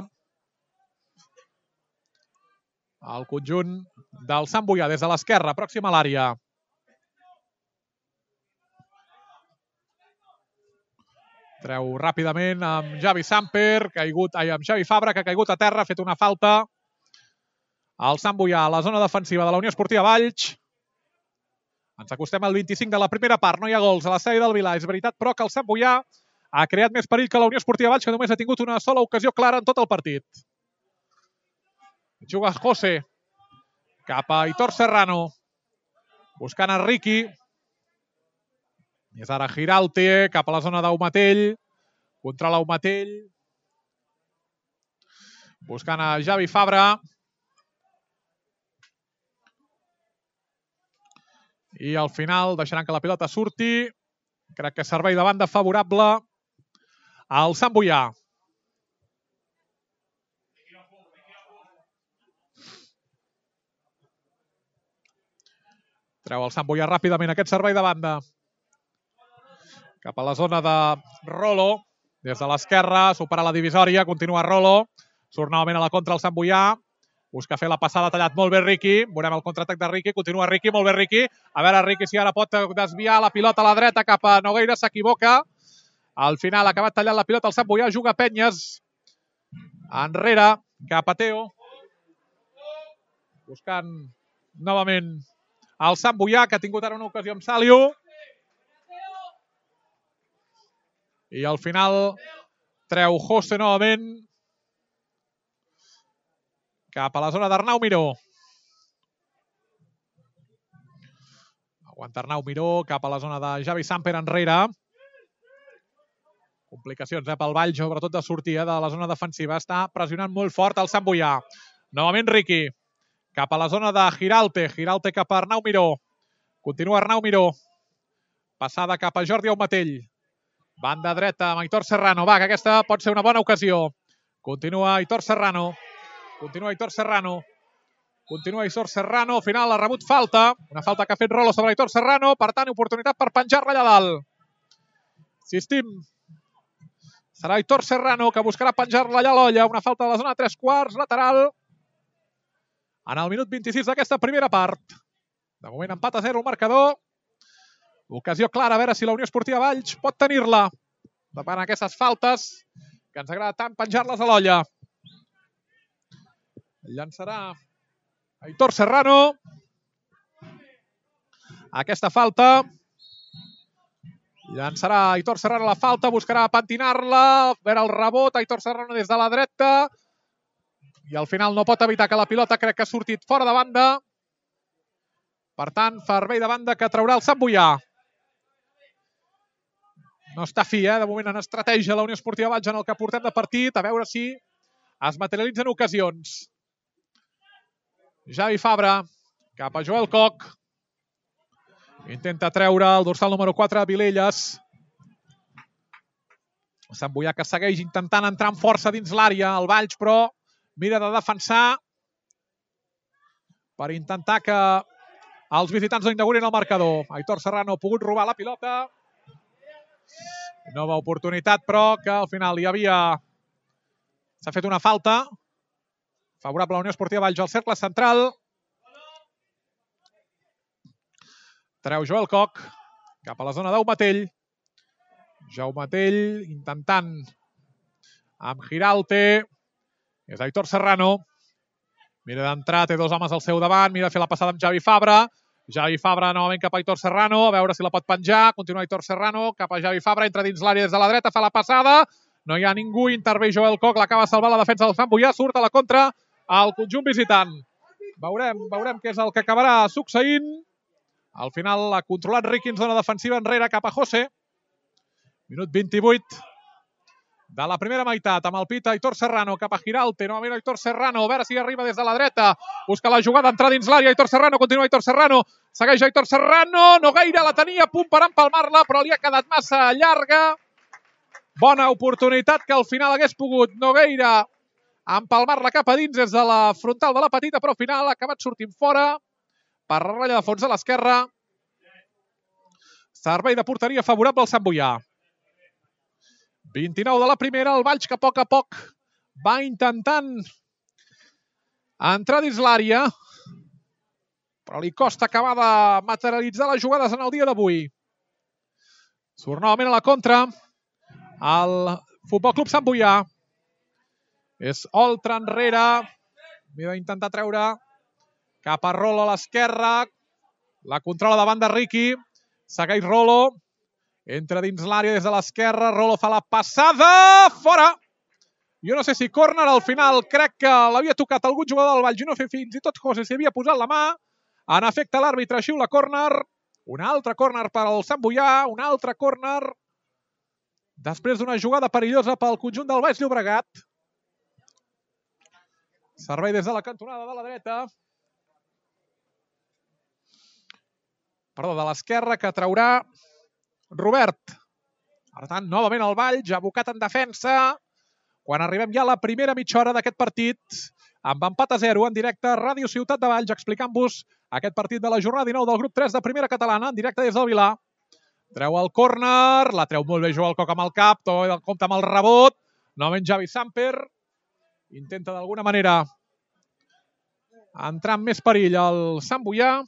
al conjunt del Sant Boià des de l'esquerra, pròxim a l'àrea. Treu ràpidament amb Javi Samper, caigut, ai, amb Xavi Fabra, que ha caigut a terra, ha fet una falta. El Sant Boià a la zona defensiva de la Unió Esportiva Valls. Ens acostem al vint-i-cinc de la primera part, no hi ha gols a l'estadi del Vilà. És veritat, però, que el Sant Boià ha creat més perill que la Unió Esportiva Valls, que només ha tingut una sola ocasió clara en tot el partit. Juga José cap a Aitor Serrano, buscant a Riqui. És ara Giralte cap a la zona d'Aumatell, controla Aumatell, buscant a Javi Fabra. I al final deixaran que la pilota surti. Crec que servei de banda favorable al Sant Boià. Treu el Sant Boià ràpidament aquest servei de banda. Cap a la zona de Rolo. Des de l'esquerra, supera la divisòria, continua Rolo. Surt novament a la contra el Sant Boià. Busca fer la passada, tallat molt bé Riqui. Veurem el contraatac de Riqui. Continua Riqui, molt bé Riqui. A veure Riqui si ara pot desviar la pilota a la dreta cap a Nogueira. S'equivoca. Al final ha acabat tallant la pilota el Sant Boià. Juga Penyes. Enrere, cap a Teo. Buscant novament el Sant Boià, que ha tingut ara una ocasió amb Saliu. I al final treu José novament cap a la zona d'Arnau Miró. Aguanta Arnau Miró cap a la zona de Javi Samper enrere. Complicacions eh, pel Vall, sobretot de sortir eh, de la zona defensiva. Està pressionant molt fort el Sant Boià. Novament Riqui. Cap a la zona de Giralte. Giralte cap a Arnau Miró. Continua Arnau Miró. Passada cap a Jordi Aumatell. Banda dreta amb Aitor Serrano. Va, que aquesta pot ser una bona ocasió. Continua Aitor Serrano. Continua Aitor Serrano. Continua Aitor Serrano. Al final ha rebut falta. Una falta que ha fet Rolo sobre Aitor Serrano. Per tant, oportunitat per penjar-la allà dalt. Insistim. Serà Aitor Serrano que buscarà penjar-la allà a l'olla. Una falta de la zona de tres quarts, lateral. En el minut vint-i-sis d'aquesta primera part. De moment empat a zero el marcador. Ocasió clara, a veure si la Unió Esportiva Valls pot tenir-la davant aquestes faltes que ens agrada tant penjar-les a l'olla. Llançarà Aitor Serrano. Aquesta falta. Llançarà Aitor Serrano la falta, buscarà pentinar-la, a veure el rebot, Aitor Serrano des de la dreta. I al final no pot evitar que la pilota crec que ha sortit fora de banda. Per tant, servei de banda que traurà el Sant Boià. No està fi, eh? De moment en estratègia la Unió Esportiva Valls en el que portem de partit. A veure si es materialitzen ocasions. Javi Fabra cap a Joel Coc. Intenta treure el dorsal número quatre, Vilelles. El Sant Boià que segueix intentant entrar amb força dins l'àrea. El Valls, però, mira de defensar per intentar que els visitants no inaugurin el marcador. Aitor Serrano ha pogut robar la pilota. Nova oportunitat, però, que al final hi havia... S'ha fet una falta. Favorable a la Unió Esportiva Valls al cercle central. Treu Joel Coc cap a la zona d'Aumatell. Jaumatell intentant amb Giralte. És Aitor Serrano. Mira d'entrar, té dos homes al seu davant, mira de fer la passada amb Javi Fabra. Javi Fabra novament cap a Aitor Serrano, a veure si la pot penjar. Continua Aitor Serrano, cap a Javi Fabra, entra dins l'àrea des de la dreta, fa la passada. No hi ha ningú, intervé Joel Koch, l'acaba salvar la defensa del Sant Boià, surt a la contra al conjunt visitant. Veurem, veurem què és el que acabarà succeint. Al final ha controlat Riqui en zona defensiva enrere cap a José. Minut vint-i-vuit de la primera meitat, amb el pit Aitor Serrano cap a Giralte, novament Aitor Serrano, a veure si arriba des de la dreta, busca la jugada, entrar dins l'àrea, Aitor Serrano, continua Aitor Serrano, segueix Aitor Serrano, Nogueira la tenia a punt per empalmar-la, però li ha quedat massa llarga. Bona oportunitat que al final hagués pogut Nogueira empalmar-la cap a dins des de la frontal de la petita, però al final ha acabat sortint fora per ratlla de fons a l'esquerra. Servei de porteria favorable al Sant Boià. vint-i-nou de la primera, el Valls que a poc a poc va intentant entrar dins l'àrea, però li costa acabar de materialitzar les jugades en el dia d'avui. Surt novament a la contra el Futbol Club Sant Boià. És Oltra enrere, mira d'intentar treure cap a Rolo a l'esquerra, la controla davant de Riqui, segueix Rolo, entra dins l'àrea des de l'esquerra, Rolo fa la passada, fora! Jo no sé si córner, al final crec que l'havia tocat algun jugador del Valls, jo no sé fins i tot José s'hi havia posat la mà, en efecte l'àrbitre xiula córner, un altre córner per al Sant Boià, un altre córner, després d'una jugada perillosa pel conjunt del Baix Llobregat. Servei des de la cantonada de la dreta, perdó, de l'esquerra, que traurà Robert. Per tant, novament el Valls, abocat en defensa, quan arribem ja a la primera mitja hora d'aquest partit, amb empat a zero en directe a Ràdio Ciutat de Valls, explicant-vos aquest partit de la jornada dinou del grup tres de primera catalana, en directe des del Vilar. Treu el córner, la treu molt bé Joel Koch amb el cap, tot el compte amb el rebot, novament Javi Samper, intenta d'alguna manera entrar amb més perill al Sant Boià.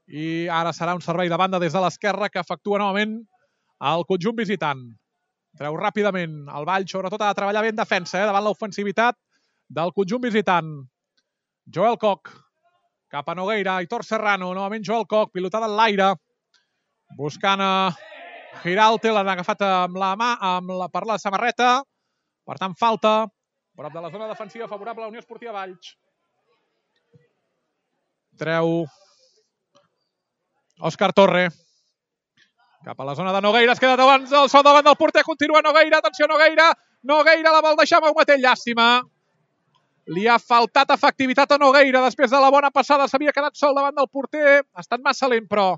I ara serà un servei de banda des de l'esquerra que efectua novament el conjunt visitant. Treu ràpidament el Valls, sobretot ha de treballar bé en defensa, eh, davant l'ofensivitat del conjunt visitant. Joel Koch, cap a Nogueira, Aitor Serrano, novament Joel Koch, pilotada en l'aire, buscant a Giralte, l'han agafat amb la mà, amb la, per la samarreta, per tant falta, prop de la zona defensiva favorable a la Unió Esportiva Valls. Treu Òscar Torre, cap a la zona de Nogueira, es queda davant, el sol davant del porter, continua Nogueira, atenció Nogueira, Nogueira la vol deixar amb Matell, llàstima. Li ha faltat efectivitat a Nogueira, després de la bona passada s'havia quedat sol davant del porter, ha estat massa lent, però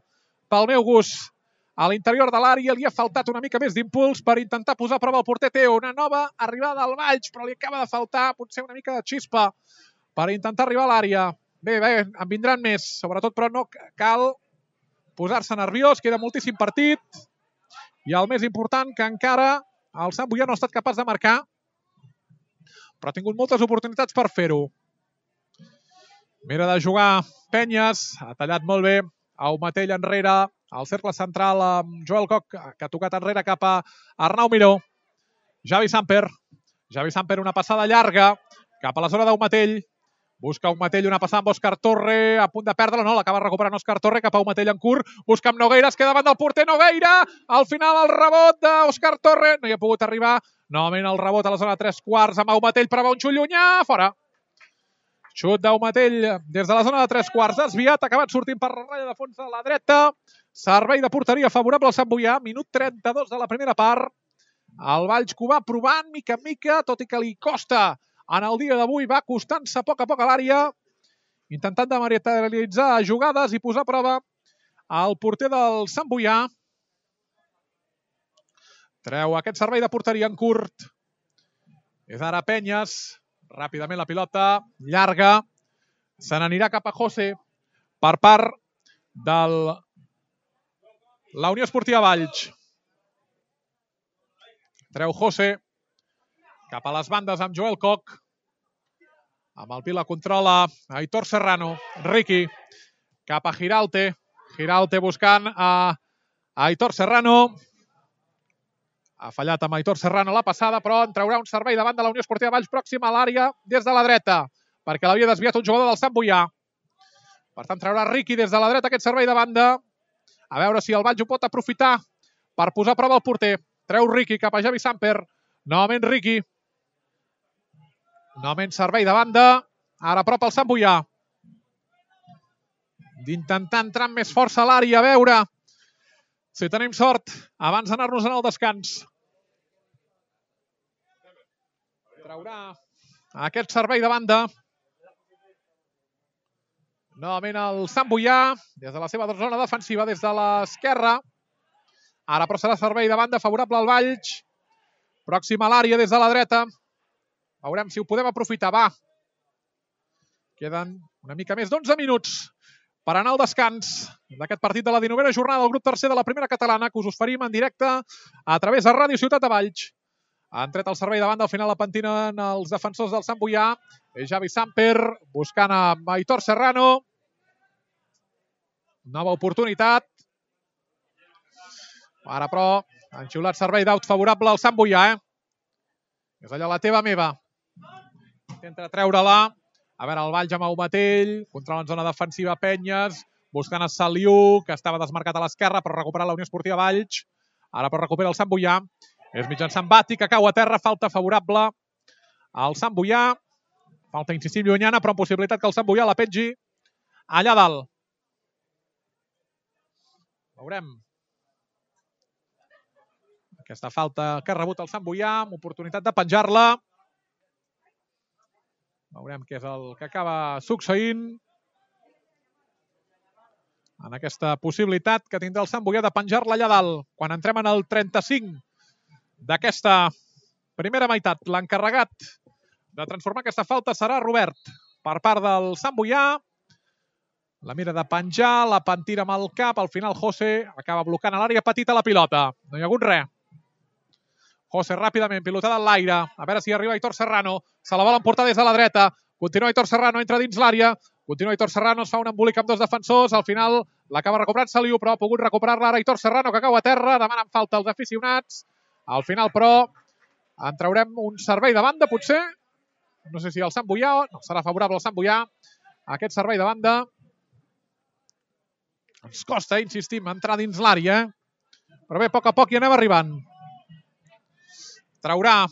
pel meu gust a l'interior de l'àrea li ha faltat una mica més d'impuls per intentar posar a prova el porter Teo, una nova arribada al Valls, però li acaba de faltar potser una mica de xispa per intentar arribar a l'àrea. Bé, bé, en vindran més, sobretot, però no cal posar-se nerviós, queda moltíssim partit i el més important que encara el Sant Boià no ha estat capaç de marcar, però ha tingut moltes oportunitats per fer-ho. Mira de jugar Penyes, ha tallat molt bé Aumatell enrere, al cercle central amb Joel Koch, que ha tocat enrere cap a Arnau Miró. Javi Samper, Javi Samper una passada llarga cap a la zona d'Aumatell. Busca Aumatell, una passada amb Òscar Torre, a punt de perdre-la, no, l'acaba recuperant Òscar Torre cap a Aumatell en curt, busca amb Nogueira, es queda davant del porter Nogueira, al final el rebot d'Òscar Torre, no hi ha pogut arribar, novament el rebot a la zona de tres quarts amb Aumatell, però va un xut llunyà, fora. Xut d'Aumatell des de la zona de tres quarts, desviat, ha acabat sortint per la ratlla de fons a la dreta, servei de porteria favorable al Sant Boià, minut trenta-dos de la primera part, el Valls que ho va provant mica en mica, tot i que li costa. En el dia d'avui va costant-se a poc a poc a l'àrea, intentant de materialitzar jugades i posar a prova el porter del Sant Boià. Treu aquest servei de porteria en curt. És ara Penyes. Ràpidament la pilota llarga. Se n'anirà cap a José per part de la Unió Esportiva Valls. Treu José cap a les bandes amb Joel Koch. Amb el pit la controla Aitor Serrano. Riqui cap a Giralte. Giralte buscant a Aitor Serrano. Ha fallat amb Aitor Serrano la passada, però en traurà un servei davant de la Unió Esportiva Valls, pròxima a l'àrea des de la dreta, perquè l'havia desviat un jugador del Sant Boià. Per tant, traurà Riqui des de la dreta aquest servei de banda. A veure si el Valls ho pot aprofitar per posar a prova el porter. Treu Riqui cap a Javi Samper. Novament Riqui. Novament servei de banda. Ara a prop el Sant Boià. D'intentar entrar amb més força a l'àrea, a veure si tenim sort abans d'anar-nos en el descans. Traurà aquest servei de banda. Novament el Sant Boià, des de la seva zona defensiva, des de l'esquerra. Ara però serà servei de banda favorable al Valls. Pròxim a l'àrea des de la dreta. Veurem si ho podem aprofitar. Va. Queden una mica més d'onze minuts per anar al descans d'aquest partit de la dinovena jornada del grup tercer de la primera catalana, que us oferim en directe a través de Ràdio Ciutat de Valls. Han tret el servei de banda, al final la pentinen els defensors del Sant Boià. És Javi Samper buscant a Aitor Serrano. Nova oportunitat. Ara però han xiulat servei d'aut favorable al Sant Boià. Eh? És allà la teva meva. Intenta treure-la. A veure, el Valls amb Aumatell, controla en zona defensiva Penyes, buscant a Saliu, que estava desmarcat a l'esquerra per recuperar la Unió Esportiva Valls. Ara però recupera el Sant Boià. És mitjançant Bati, que cau a terra, falta favorable al Sant Boià. Falta incisiva llunyana, però amb possibilitat que el Sant Boià la pengi allà dalt. Veurem. Aquesta falta que ha rebut el Sant Boià, amb oportunitat de penjar-la. Veurem què és el que acaba succeint en aquesta possibilitat que tindrà el Sant Boià de penjar-la allà dalt. Quan entrem en el trenta-cinc d'aquesta primera meitat, l'encarregat de transformar aquesta falta serà Robert per part del Sant Boià. La mira de penjar, la pentina amb el cap, al final José acaba blocant a l'àrea petita la pilota. No hi ha hagut res. José ràpidament, pilotada en l'aire. A veure si arriba Aitor Serrano. Se la volen portar des de la dreta. Continua Aitor Serrano, entra dins l'àrea. Continua Aitor Serrano, es fa un embolic amb dos defensors. Al final l'acaba recuperant Saliu, però ha pogut recuperar-la ara Aitor Serrano, que cau a terra. Demanen falta els aficionats. Al final, però, en traurem un servei de banda, potser. No sé si el Sant Boià o no. Serà favorable al Sant Boià. Aquest servei de banda. Ens costa, insistim, entrar dins l'àrea. Però bé, a poc a poc hi anem arribant. Traurà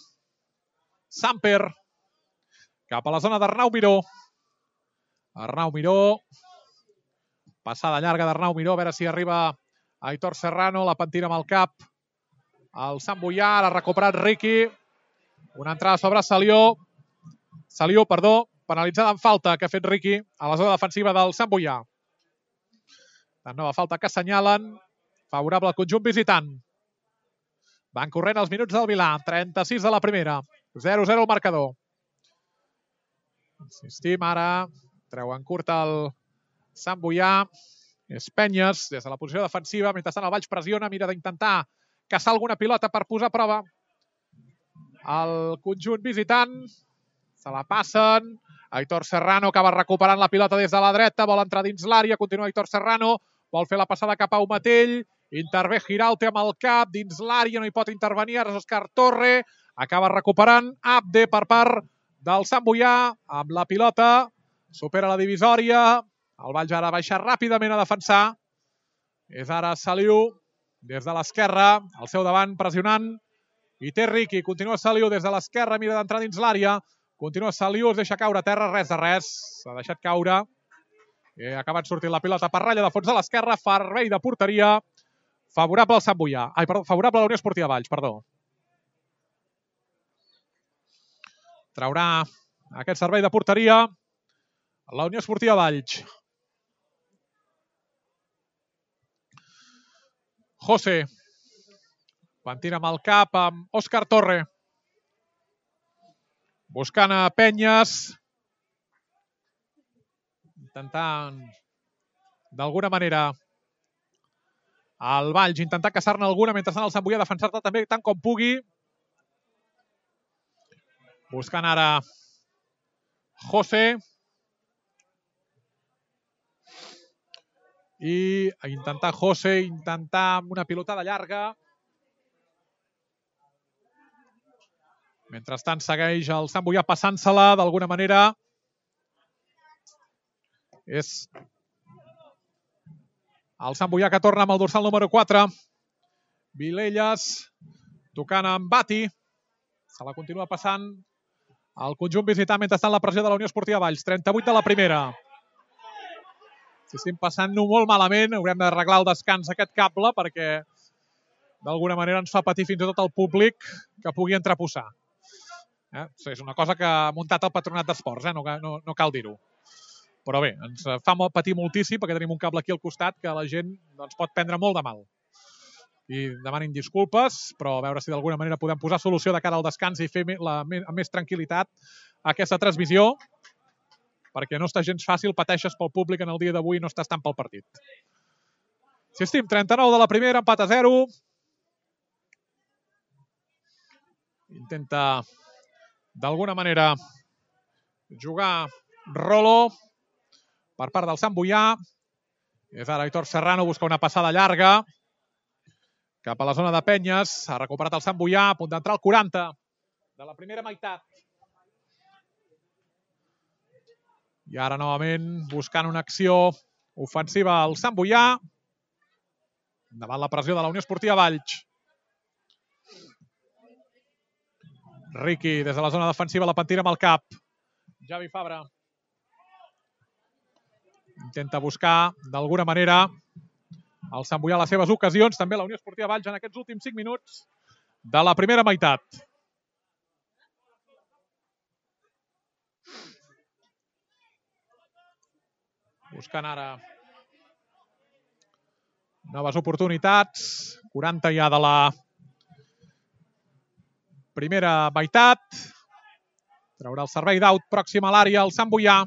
Samper cap a la zona d'Arnau Miró. Arnau Miró. Passada llarga d'Arnau Miró. A veure si arriba Aitor Serrano. La pentina amb el cap. El Sant Boià. Ara ha recuperat Riqui. Una entrada sobre Salió. Salió, perdó. Penalitzada en falta que ha fet Riqui a la zona defensiva del Sant Boià. La nova falta que assenyalen. Favorable al conjunt visitant. Van corrent els minuts del Vilà. trenta-sis de la primera. zero zero el marcador. Insistim ara. Treuen curt el Sant Boià. És Penyes des de la posició defensiva. Mentrestant el Valls pressiona. Mira d'intentar caçar alguna pilota per posar a prova el conjunt visitant. Se la passen. Aitor Serrano acaba recuperant la pilota des de la dreta. Vol entrar dins l'àrea. Continua Aitor Serrano. Vol fer la passada cap a Aumatell. Intervé Giralte amb el cap, dins l'àrea, no hi pot intervenir, ara és Òscar Torre, acaba recuperant Abde per part del Sant Boià, amb la pilota, supera la divisòria, el Valls ara baixa ràpidament a defensar, és ara Saliu, des de l'esquerra, al seu davant, pressionant, i té Riqui, continua Saliu des de l'esquerra, mira d'entrar dins l'àrea, continua Saliu, es deixa caure a terra, res de res, s'ha deixat caure, ha acabat sortint la pilota per ratlla de fons de l'esquerra, servei de porteria, favorable al Sant Boià. Ai, perdó, favorable a la Unió Esportiva Valls, perdó. Traurà aquest servei de porteria la Unió Esportiva Valls. José. Pentina amb el cap amb Òscar Torre. Buscant a Penyes. Intentant, d'alguna manera, el Valls intentar caçar-ne alguna, mentrestant el Sant Boià defensar-te també tant com pugui. Buscant ara José. I intentar José, intentar amb una pilotada llarga. Mentrestant segueix el Sant Boià passant-se-la d'alguna manera. És el Sant Boià que torna amb el dorsal número quatre. Vilelles tocant amb Bati. Se la continua passant el conjunt visitant mentrestant la pressió de la Unió Esportiva Valls. trenta-vuit de la primera. Si estem passant-ho molt malament, haurem d'arreglar el descans aquest cable perquè d'alguna manera ens fa patir fins i tot el públic que pugui entreposar. Eh? És una cosa que ha muntat el Patronat d'Esports, eh? no, no, no cal dir-ho. Però bé, ens fa patir moltíssim perquè tenim un cable aquí al costat que la gent doncs, pot prendre molt de mal. I demanin disculpes, però a veure si d'alguna manera podem posar solució de cara al descans i fer la, amb més tranquil·litat aquesta transmissió, perquè no està gens fàcil, pateixes pel públic en el dia d'avui i no estàs tant pel partit. Si estim, trenta-nou de la primera, empat a zero. Intenta d'alguna manera jugar Rolo per part del Sant Boià. És ara Aitor Serrano, busca una passada llarga cap a la zona de Penyes. Ha recuperat el Sant Boià, a punt d'entrar al quaranta de la primera meitat. I ara novament buscant una acció ofensiva al Sant Boià davant la pressió de la Unió Esportiva Valls. Riqui, des de la zona defensiva, la pentina amb el cap. Javi Fabra. Intenta buscar, d'alguna manera, el Sant Boià les seves ocasions. També la Unió Esportiva Valls en aquests últims cinc minuts de la primera meitat. Buscant ara noves oportunitats. quaranta ja de la primera meitat. Traurà el servei d'aut pròxim a l'àrea el Sant Boià.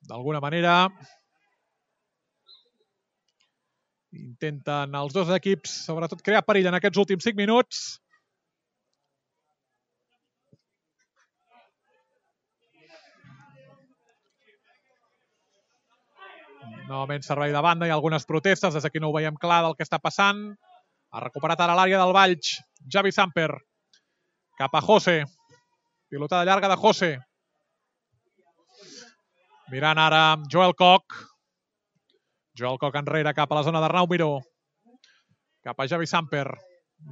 D'alguna manera intenten els dos equips, sobretot, crear perill en aquests últims cinc minuts. Novament servei de banda, hi ha algunes protestes, des d'aquí no ho veiem clar del que està passant. Ha recuperat ara l'àrea del Valls. Javi Samper. Cap a José. Pilotada llarga de José. Mirant ara Joel Koch. Joel Koch enrere cap a la zona d'Arnau Miró. Cap a Javi Samper.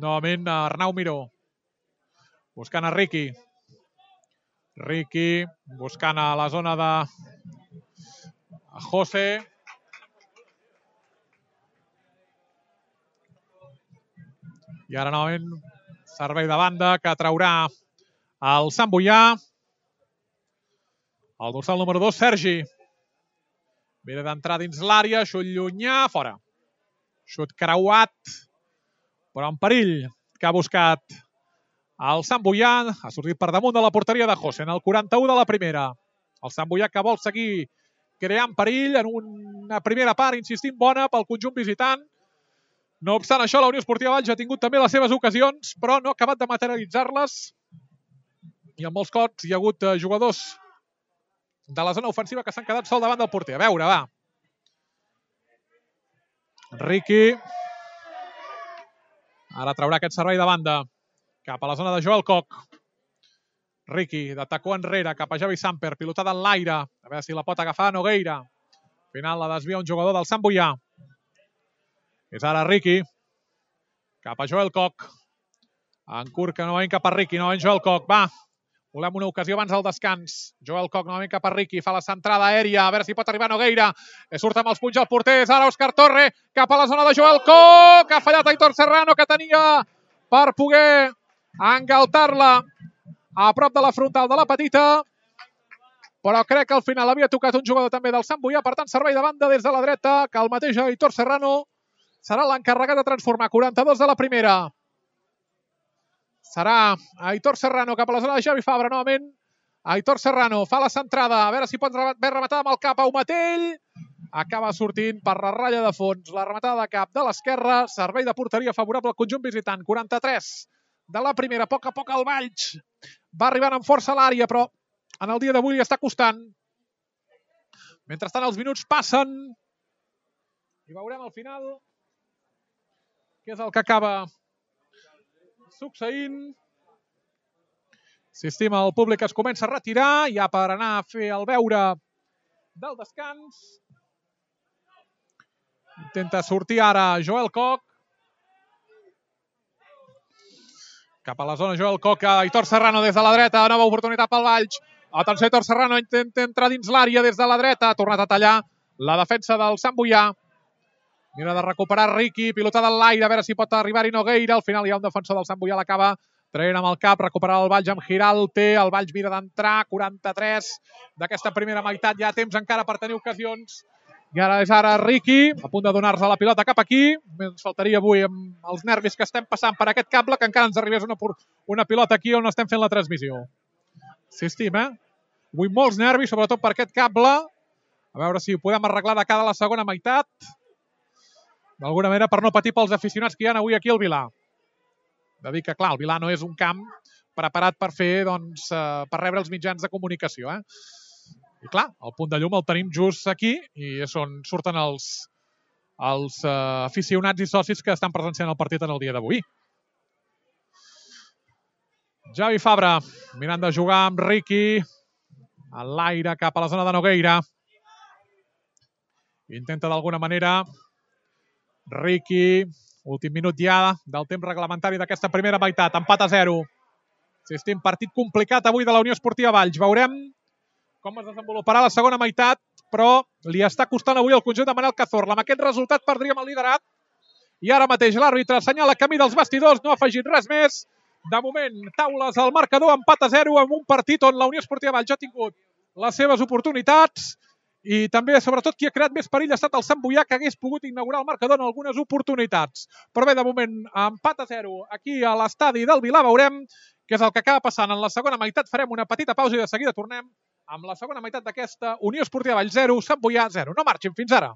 Novament Arnau Miró. Buscant a Riqui. Riqui buscant a la zona de José. I ara novament servei de banda que traurà el Sant Boià. El dorsal número dos, Sergi. Mira d'entrar dins l'àrea, xut llunyà, fora. Xut creuat, però en perill que ha buscat el Sant Boià. Ha sortit per damunt de la porteria de José en el quaranta-u de la primera. El Sant Boià que vol seguir creant perill en una primera part, insistint, bona pel conjunt visitant. No obstant això, la Unió Esportiva Valls ha tingut també les seves ocasions, però no ha acabat de materialitzar-les. I en molts cops hi ha hagut jugadors de la zona ofensiva que s'han quedat sol davant del porter. A veure, va. Riqui. Ara traurà aquest servei de banda cap a la zona de Joel Koch. Riqui, de tacó enrere, cap a Javi Samper, pilotada en l'aire. A veure si la pot agafar Nogueira. Al final la desvia un jugador del Sant Boià. És ara Riqui. Cap a Joel Koch. Encurca novament cap a Riqui, novament Joel Koch. Va, volem una ocasió abans del descans. Joel Koch novament cap a Riqui, fa la centrada aèria, a veure si pot arribar Nogueira. Surt amb els punys al porter, és ara Òscar Torre, cap a la zona de Joel Koch, que ha fallat Aitor Serrano, que tenia per poder engaltar-la a prop de la frontal de la petita, però crec que al final havia tocat un jugador també del Sant Boià, per tant servei de banda des de la dreta, que el mateix Aitor Serrano serà l'encarregat de transformar. quaranta-dos de la primera. Serà Aitor Serrano cap a la zona de Javi Fabra, novament. Aitor Serrano fa la centrada, a veure si pot haver rematada amb el cap a Umatell. Acaba sortint per la ratlla de fons. La rematada de cap de l'esquerra, servei de porteria favorable al conjunt visitant. quaranta-tres de la primera, a poc a poc el Valls va arribant amb força a l'àrea, però en el dia d'avui li està costant. Mentrestant els minuts passen i veurem al final què és el que acaba succeint. Insistim, el públic es comença a retirar, ja per anar a fer el veure del descans. Intenta sortir ara Joel Koch. Cap a la zona Joel Koch, Aitor Serrano des de la dreta, nova oportunitat pel Valls. Atenció, Aitor Serrano intenta entrar dins l'àrea des de la dreta, ha tornat a tallar la defensa del Sant Boià. Mira de recuperar Riqui, pilotada en l'aire, a veure si pot arribar-hi Nogueira. Al final hi ha un defensor del Sant Boià, l'acaba traient amb el cap, recuperar el Valls amb Giralte. El Valls mira d'entrar, quaranta-tres d'aquesta primera meitat, ja temps encara per tenir ocasions. I ara és ara Riqui, a punt de donar-se la pilota cap aquí. Ens faltaria avui amb els nervis que estem passant per aquest cable que encara ens arribés una, una pilota aquí on estem fent la transmissió. Insistim, eh? Avui molts nervis, sobretot per aquest cable. A veure si ho podem arreglar de cara a la segona meitat. D'alguna manera per no patir pels aficionats que hi ha avui aquí al Vilà. De dir que, clar, el Vilà no és un camp preparat per fer, doncs, eh, per rebre els mitjans de comunicació, eh? I clar, el punt de llum el tenim just aquí i és on surten els, els uh, aficionats i socis que estan presenciant el partit en el dia d'avui. Javi Fabra mirant de jugar amb Riqui a l'aire cap a la zona de Nogueira. Intenta d'alguna manera Riqui, últim minut ja del temps reglamentari d'aquesta primera meitat, empat a zero. Insistim, partit complicat avui de la Unió Esportiva Valls. Veurem com es desenvoluparà la segona meitat, però li està costant avui el conjunt de Manel Cazorla. Amb aquest resultat perdríem el liderat i ara mateix l'àrbitre assenyala camí dels vestidors, no ha afegit res més. De moment, taules al marcador, empat a zero en un partit on la Unió Esportiva Valls ha tingut les seves oportunitats i també, sobretot, qui ha creat més perill ha estat el Sant Boià, que hagués pogut inaugurar el marcador en algunes oportunitats. Però bé, de moment, empat a zero aquí a l'estadi del Vilà. Veurem què és el que acaba passant en la segona meitat. Farem una petita pausa i de seguida tornem amb la segona meitat d'aquesta Unió Esportiva Valls zero, Sant Boià zero. No marxin, fins ara.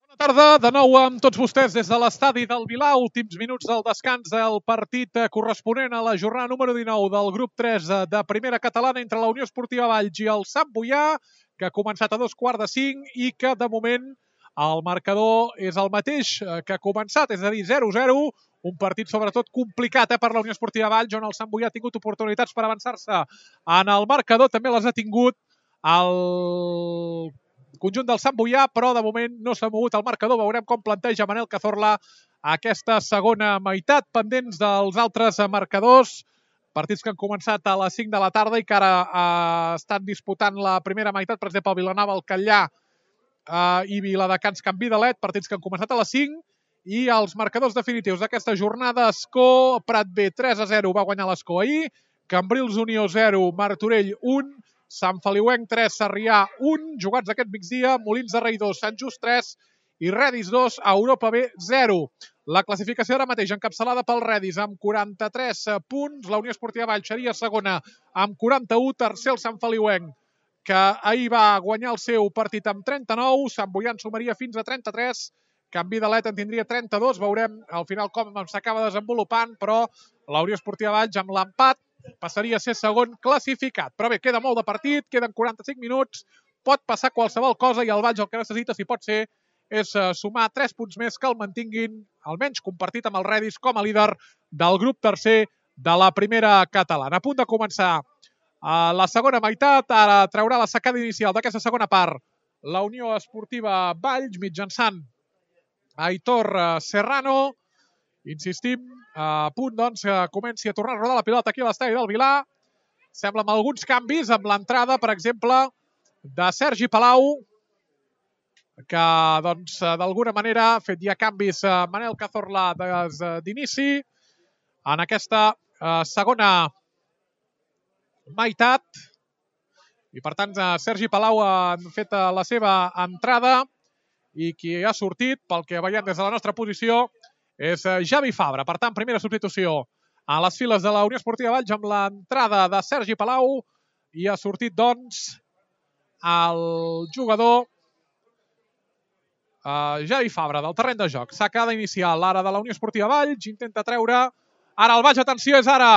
Bona tarda, de nou amb tots vostès des de l'estadi del Vilà. Últims minuts del descans del partit corresponent a la jornada número dinou del grup tres de Primera Catalana entre la Unió Esportiva Valls i el Sant Boià, que ha començat a dos quarts de cinc i que de moment el marcador és el mateix que ha començat, és a dir, zero a zero. Un partit sobretot complicat eh, per la Unió Esportiva Valls, on el Sant Boià ha tingut oportunitats per avançar-se en el marcador. També les ha tingut el conjunt del Sant Boià, però de moment no s'ha mogut el marcador. Veurem com planteja Manel Cazorla aquesta segona meitat, pendents dels altres marcadors. Partits que han començat a les cinc de la tarda i que ara eh, estan disputant la primera meitat. Per exemple, Vilanova, el Catllà eh, i Viladecans, Can Vidalet, partits que han començat a les cinc. I els marcadors definitius d'aquesta jornada: Escó, Prat B tres a zero, va guanyar l'Escó ahir, Cambrils Unió zero, Martorell un, Sant Feliuenc tres, Sarrià un, jugats aquest migdia, Molins de Rei dos, Sant Just tres i Redis dos, Europa B zero. La classificació ara mateix encapçalada pel Redis amb quaranta-tres punts, la Unió Esportiva Valls seria segona amb quaranta-u, tercer el Sant Feliuenc, que ahir va guanyar el seu partit amb trenta-nou, Sant Boià en sumaria fins a trenta-tres, Can Vidalet en tindria trenta-dos, veurem al final com s'acaba desenvolupant, però la Unió Esportiva Valls amb l'empat passaria a ser segon classificat. Però bé, queda molt de partit, queden quaranta-cinc minuts, pot passar qualsevol cosa i el Valls el que necessita, si pot ser, és sumar tres punts més que el mantinguin, almenys compartit amb el Redis com a líder del grup tercer de la Primera Catalana. A punt de començar la segona meitat, ara traurà la sacada inicial d'aquesta segona part la Unió Esportiva Valls mitjançant Aitor Serrano. Insistim, a punt doncs que comenci a tornar a rodar la pilota aquí a l'estadi del Vilà. Sembla amb alguns canvis, amb l'entrada, per exemple, de Sergi Palau, que doncs d'alguna manera ha fet ja canvis a Manel Cazorla des d'inici en aquesta segona meitat. I per tant, Sergi Palau ha fet la seva entrada i qui ha sortit, pel que veiem des de la nostra posició, és Javi Fabra. Per tant, primera substitució a les files de la Unió Esportiva Valls amb l'entrada de Sergi Palau i ha sortit, doncs, el jugador uh, Javi Fabra del terreny de joc. Sacada inicial ara de la Unió Esportiva Valls, intenta treure ara el Valls, atenció, és ara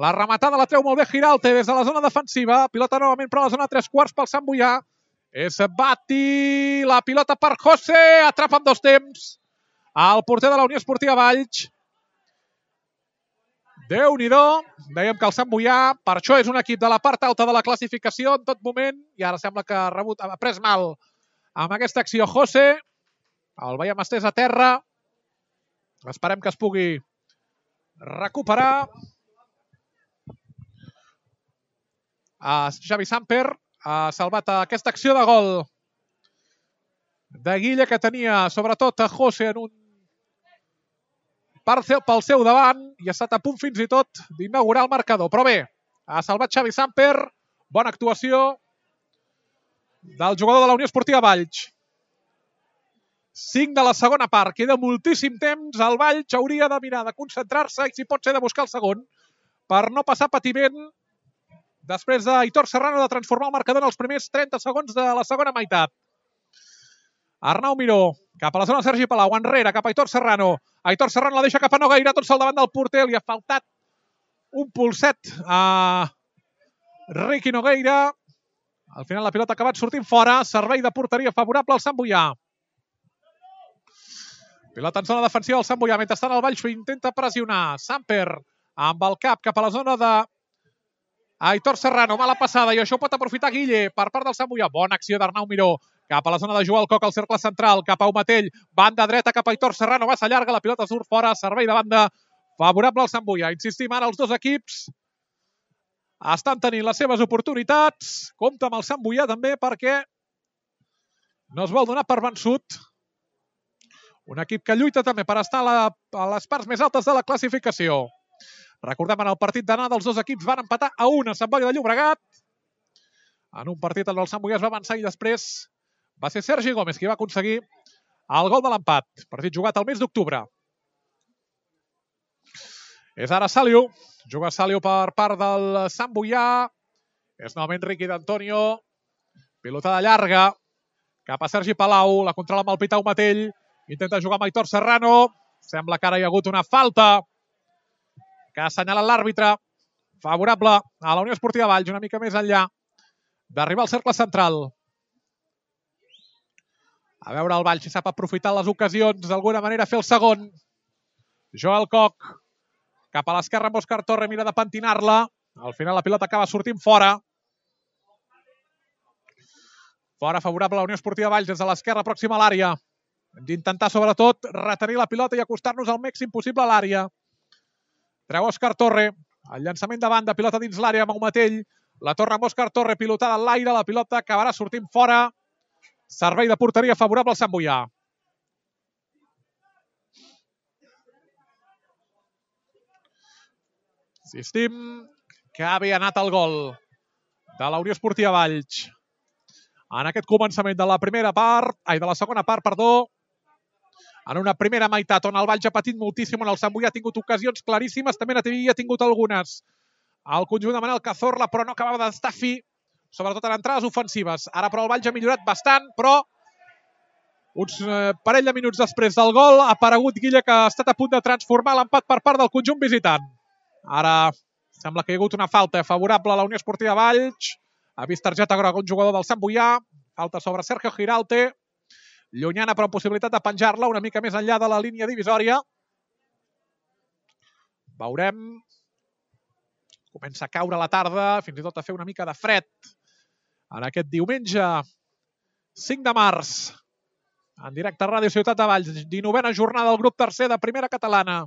La rematada la treu molt bé Giralt des de la zona defensiva. Pilota novament per la zona tres quarts pel Sant Boià. És Bati, la pilota per José, atrapa en dos temps el porter de la Unió Esportiva Valls. Déu-n'hi-do, dèiem que el Sant Boià, per això és un equip de la part alta de la classificació en tot moment, i ara sembla que ha rebut, ha pres mal amb aquesta acció José. El veiem estès a terra. Esperem que es pugui recuperar. Uh, Xavi Samper ha salvat aquesta acció de gol de Guille, que tenia sobretot a José en un pel seu davant i ha estat a punt fins i tot d'inaugurar el marcador. Però bé, ha salvat Xavi Samper. Bona actuació del jugador de la Unió Esportiva Valls. cinc de la segona part. Queda moltíssim temps. El Valls hauria de mirar de concentrar-se i, si pot ser, de buscar el segon per no passar patiment després d'Aitor Serrano de transformar el marcador en els primers trenta segons de la segona meitat. Arnau Miró, cap a la zona Sergi Palau, enrere, cap a Aitor Serrano. Aitor Serrano la deixa cap a Nogueira, tot sol davant del porter. Li ha faltat un pulset a Riqui Nogueira. Al final la pilota ha acabat sortint fora. Servei de porteria favorable al Sant Boià. Pilota en zona defensiva del Sant Boià. Mentrestant el Valls intenta pressionar. Samper amb el cap cap a la zona de Aitor Serrano. Mala passada, i això ho pot aprofitar Guille per part del Sant Boià. Bona acció d'Arnau Miró. Cap a la zona de Joel Coc, al cercle central, cap a Umatell, banda dreta cap a Aitor Serrano, massa llarga, la pilota surt fora, servei de banda favorable al Sant Boià. Insistim, ara els dos equips estan tenint les seves oportunitats. Compte amb el Sant Boià també, perquè no es vol donar per vençut. Un equip que lluita també per estar a, la, a les parts més altes de la classificació. Recordem, en el partit d'anada els dos equips van empatar a un a Sant Boi de Llobregat. En un partit on el Sant Boià es va avançar i després va ser Sergi Gómez qui va aconseguir el gol de l'empat. Partit jugat al mes d'octubre. És ara Saliu. Juga Saliu per part del Sant Boià. És novament Riqui d'Antonio. Pilotada llarga. Cap a Sergi Palau. La controla amb el Pitau Matell. Intenta jugar amb Aitor Serrano. Sembla que ara hi ha hagut una falta que ha assenyalat l'àrbitre. Favorable a la Unió Esportiva Valls, una mica més enllà d'arribar al cercle central. A veure el Valls si sap aprofitar les ocasions, d'alguna manera fer el segon. Joel Coc, cap a l'esquerra amb Òscar Torre, mira de pentinar-la. Al final la pilota acaba sortint fora. Fora favorable a la Unió Esportiva Valls des de l'esquerra pròxima a l'àrea. Hem d'intentar sobretot retenir la pilota i acostar-nos al màxim possible a l'àrea. Treu Òscar Torre, el llançament de banda, pilota dins l'àrea amb Umatell. La torre amb Òscar Torre, pilotada en l'aire, la pilota acabarà sortint fora. Servei de porteria favorable al Sant Boià. Insistim que havia anat el gol de la Unió Esportiva Valls en aquest començament de la primera part, ai, de la segona part, perdó, en una primera meitat on el Valls ha patit moltíssim, on el Sant Boià ha tingut ocasions claríssimes, també n'havia tingut algunes al conjunt de Manel Cazorla, però no acabava d'estar fi, sobretot en entrades ofensives. Ara, però, el Valls ha millorat bastant, però uns eh, parell de minuts després del gol ha aparegut Guille, que ha estat a punt de transformar l'empat per part del conjunt visitant. Ara sembla que hi ha hagut una falta favorable a la Unió Esportiva Valls. Ha vist targeta groga un jugador del Sant Boià. Falta sobre Sergio Giralte. Llunyana, però amb possibilitat de penjar-la una mica més enllà de la línia divisòria. Veurem. Comença a caure la tarda, fins i tot a fer una mica de fred en aquest diumenge cinc de març. En directe a Ràdio Ciutat de Valls, dinovena jornada del grup tercer de Primera Catalana.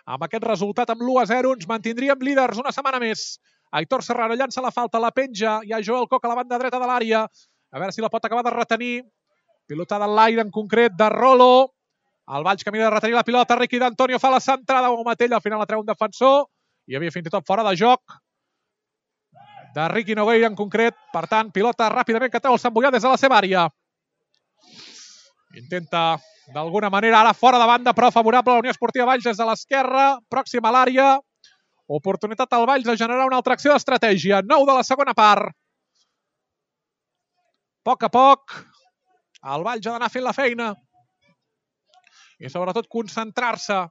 Amb aquest resultat, amb l'u a zero, ens mantindríem líders una setmana més. Aitor Serrano llança la falta, la penja. Hi ha Joel Coc a la banda dreta de l'àrea. A veure si la pot acabar de retenir. Pilotada en l'aire, en concret, de Rolo. El Valls que mira de retenir la pilota. Riqui d'Antonio fa la centrada. Un Matell, al final la treu un defensor. Hi havia fins i tot fora de joc de Riqui Nogueira, en concret. Per tant, pilota ràpidament que treu el Sant Boià des de la seva àrea. Intenta, d'alguna manera, ara fora de banda, però favorable a la Unió Esportiva Valls des de l'esquerra, pròxima a l'àrea. Oportunitat al Valls de generar una altra acció d'estratègia. nou de la segona part. A poc a poc, el Valls ha d'anar fent la feina. I sobretot concentrar-se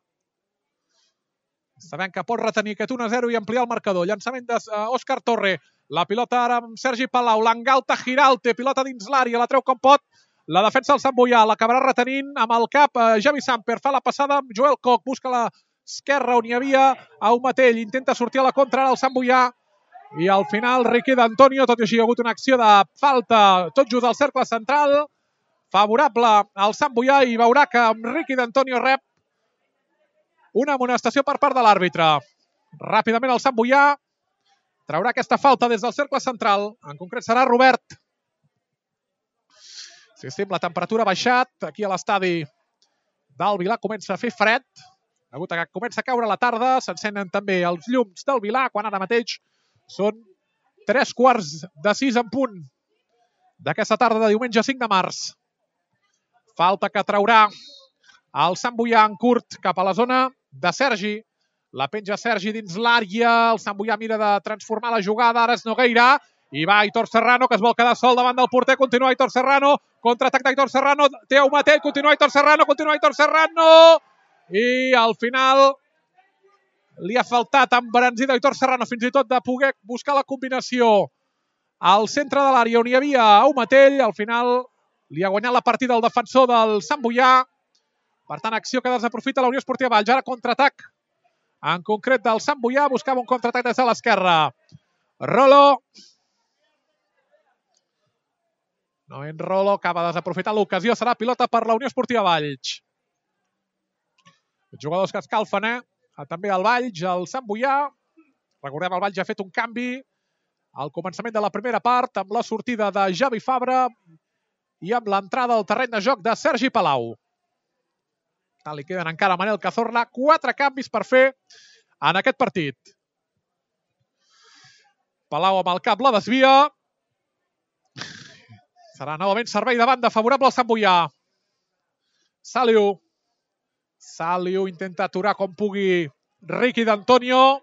sabent que pot retenir aquest un a zero i ampliar el marcador. Llançament d'Òscar Torre. La pilota ara amb Sergi Palau. L'engalta Giralte. Pilota dins l'àrea. La treu com pot. La defensa del Sant Boià. L'acabarà retenint amb el cap Javi Samper. Fa la passada amb Joel Koch. Busca l'esquerra on hi havia Aumatell. Intenta sortir a la contra ara el Sant Boià. I al final Riqui d'Antonio. Tot i així hi ha hagut una acció de falta tot just al cercle central. Favorable al Sant Boià i veurà que amb Riqui d'Antonio rep una amonestació per part de l'àrbitre. Ràpidament el Sant Boià traurà aquesta falta des del cercle central. En concret serà Robert. Sí, sí, la temperatura ha baixat. Aquí a l'estadi del Vilà comença a fer fred. Degut a que comença a caure la tarda, s'encenen també els llums del Vilà, quan ara mateix són tres quarts de sis en punt d'aquesta tarda de diumenge cinc de març. Falta que traurà el Sant Boià en curt cap a la zona de Sergi. La penja Sergi dins l'àrea. El Sant Boià mira de transformar la jugada. Ara és Nogueira. I va Aitor Serrano, que es vol quedar sol davant del porter. Continua Aitor Serrano. Contraatac d'Aitor Serrano. Té Aumatell. Continua Aitor Serrano. Continua Aitor Serrano. I al final li ha faltat embranzida Aitor Serrano fins i tot de poder buscar la combinació al centre de l'àrea on hi havia Aumatell. Al final li ha guanyat la partida el defensor del Sant Boià. Per tant, acció que desaprofita la Unió Esportiva Valls. Ara contraatac en concret del Sant Boià. Buscava un contraatac des de l'esquerra. Rolo. No en Rolo. Acaba de desaprofitar l'ocasió. Serà pilota per la Unió Esportiva Valls. Jugadors que escalfen, eh? També el Valls, el Sant Boià. Recordem, el Valls ha fet un canvi al començament de la primera part amb la sortida de Javi Fabra i amb l'entrada al terreny de joc de Sergi Palau. Li queden encara a Manel Cazorla quatre canvis per fer en aquest partit. Palau amb el cap la desvia. Serà novament servei de banda favorable al Sant Boià. Saliu. Saliu intenta aturar com pugui Riqui d'Antonio.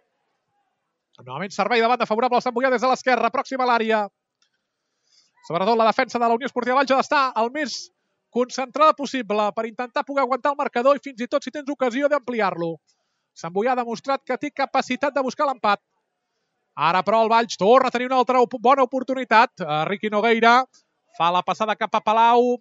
Novament servei de banda favorable al Sant Boià des de l'esquerra, pròxima a l'àrea. Sobretot la defensa de la Unió Esportiva Valls ha d'estar el més concentrada possible per intentar poder aguantar el marcador i fins i tot si tens ocasió d'ampliar-lo. Sant Boià ha demostrat que té capacitat de buscar l'empat. Ara però el Valls torna a tenir una altra bona oportunitat. Riqui Nogueira fa la passada cap a Palau.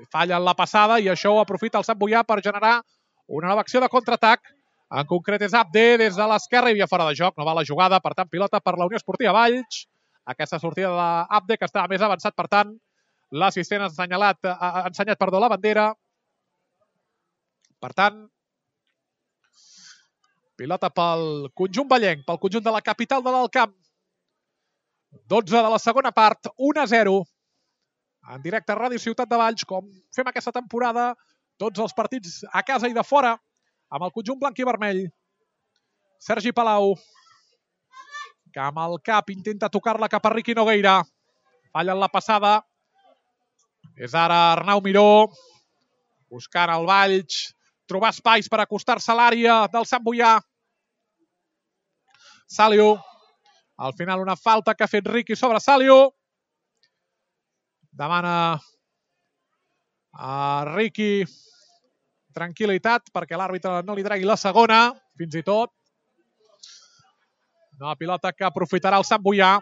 Falla en la passada i això ho aprofita el Sant Boià per generar una nova acció de contraatac. En concret és Abde des de l'esquerra i havia fora de joc. No va la jugada, per tant pilota per la Unió Esportiva Valls. Aquesta sortida d'Abde que estava més avançat, per tant l'assistent ha ensenyalat, ha ensenyat perdó, la bandera. Per tant, pilota pel conjunt vallenc, pel conjunt de la capital de l'Alt Camp. dotze de la segona part, un a zero. En directe a Ràdio Ciutat de Valls, com fem aquesta temporada, tots els partits a casa i de fora, amb el conjunt blanc i vermell. Sergi Palau, que amb el cap intenta tocar-la cap a Riqui Nogueira. Falla en la passada. És ara Arnau Miró, buscant el Valls, trobar espais per acostar-se a l'àrea del Sant Boià. Saliu. Al final una falta que ha fet Riqui sobre Saliu. Demana a Riqui tranquil·litat perquè l'àrbitre no li tregui la segona, fins i tot. Una pilota que aprofitarà el Sant Boià.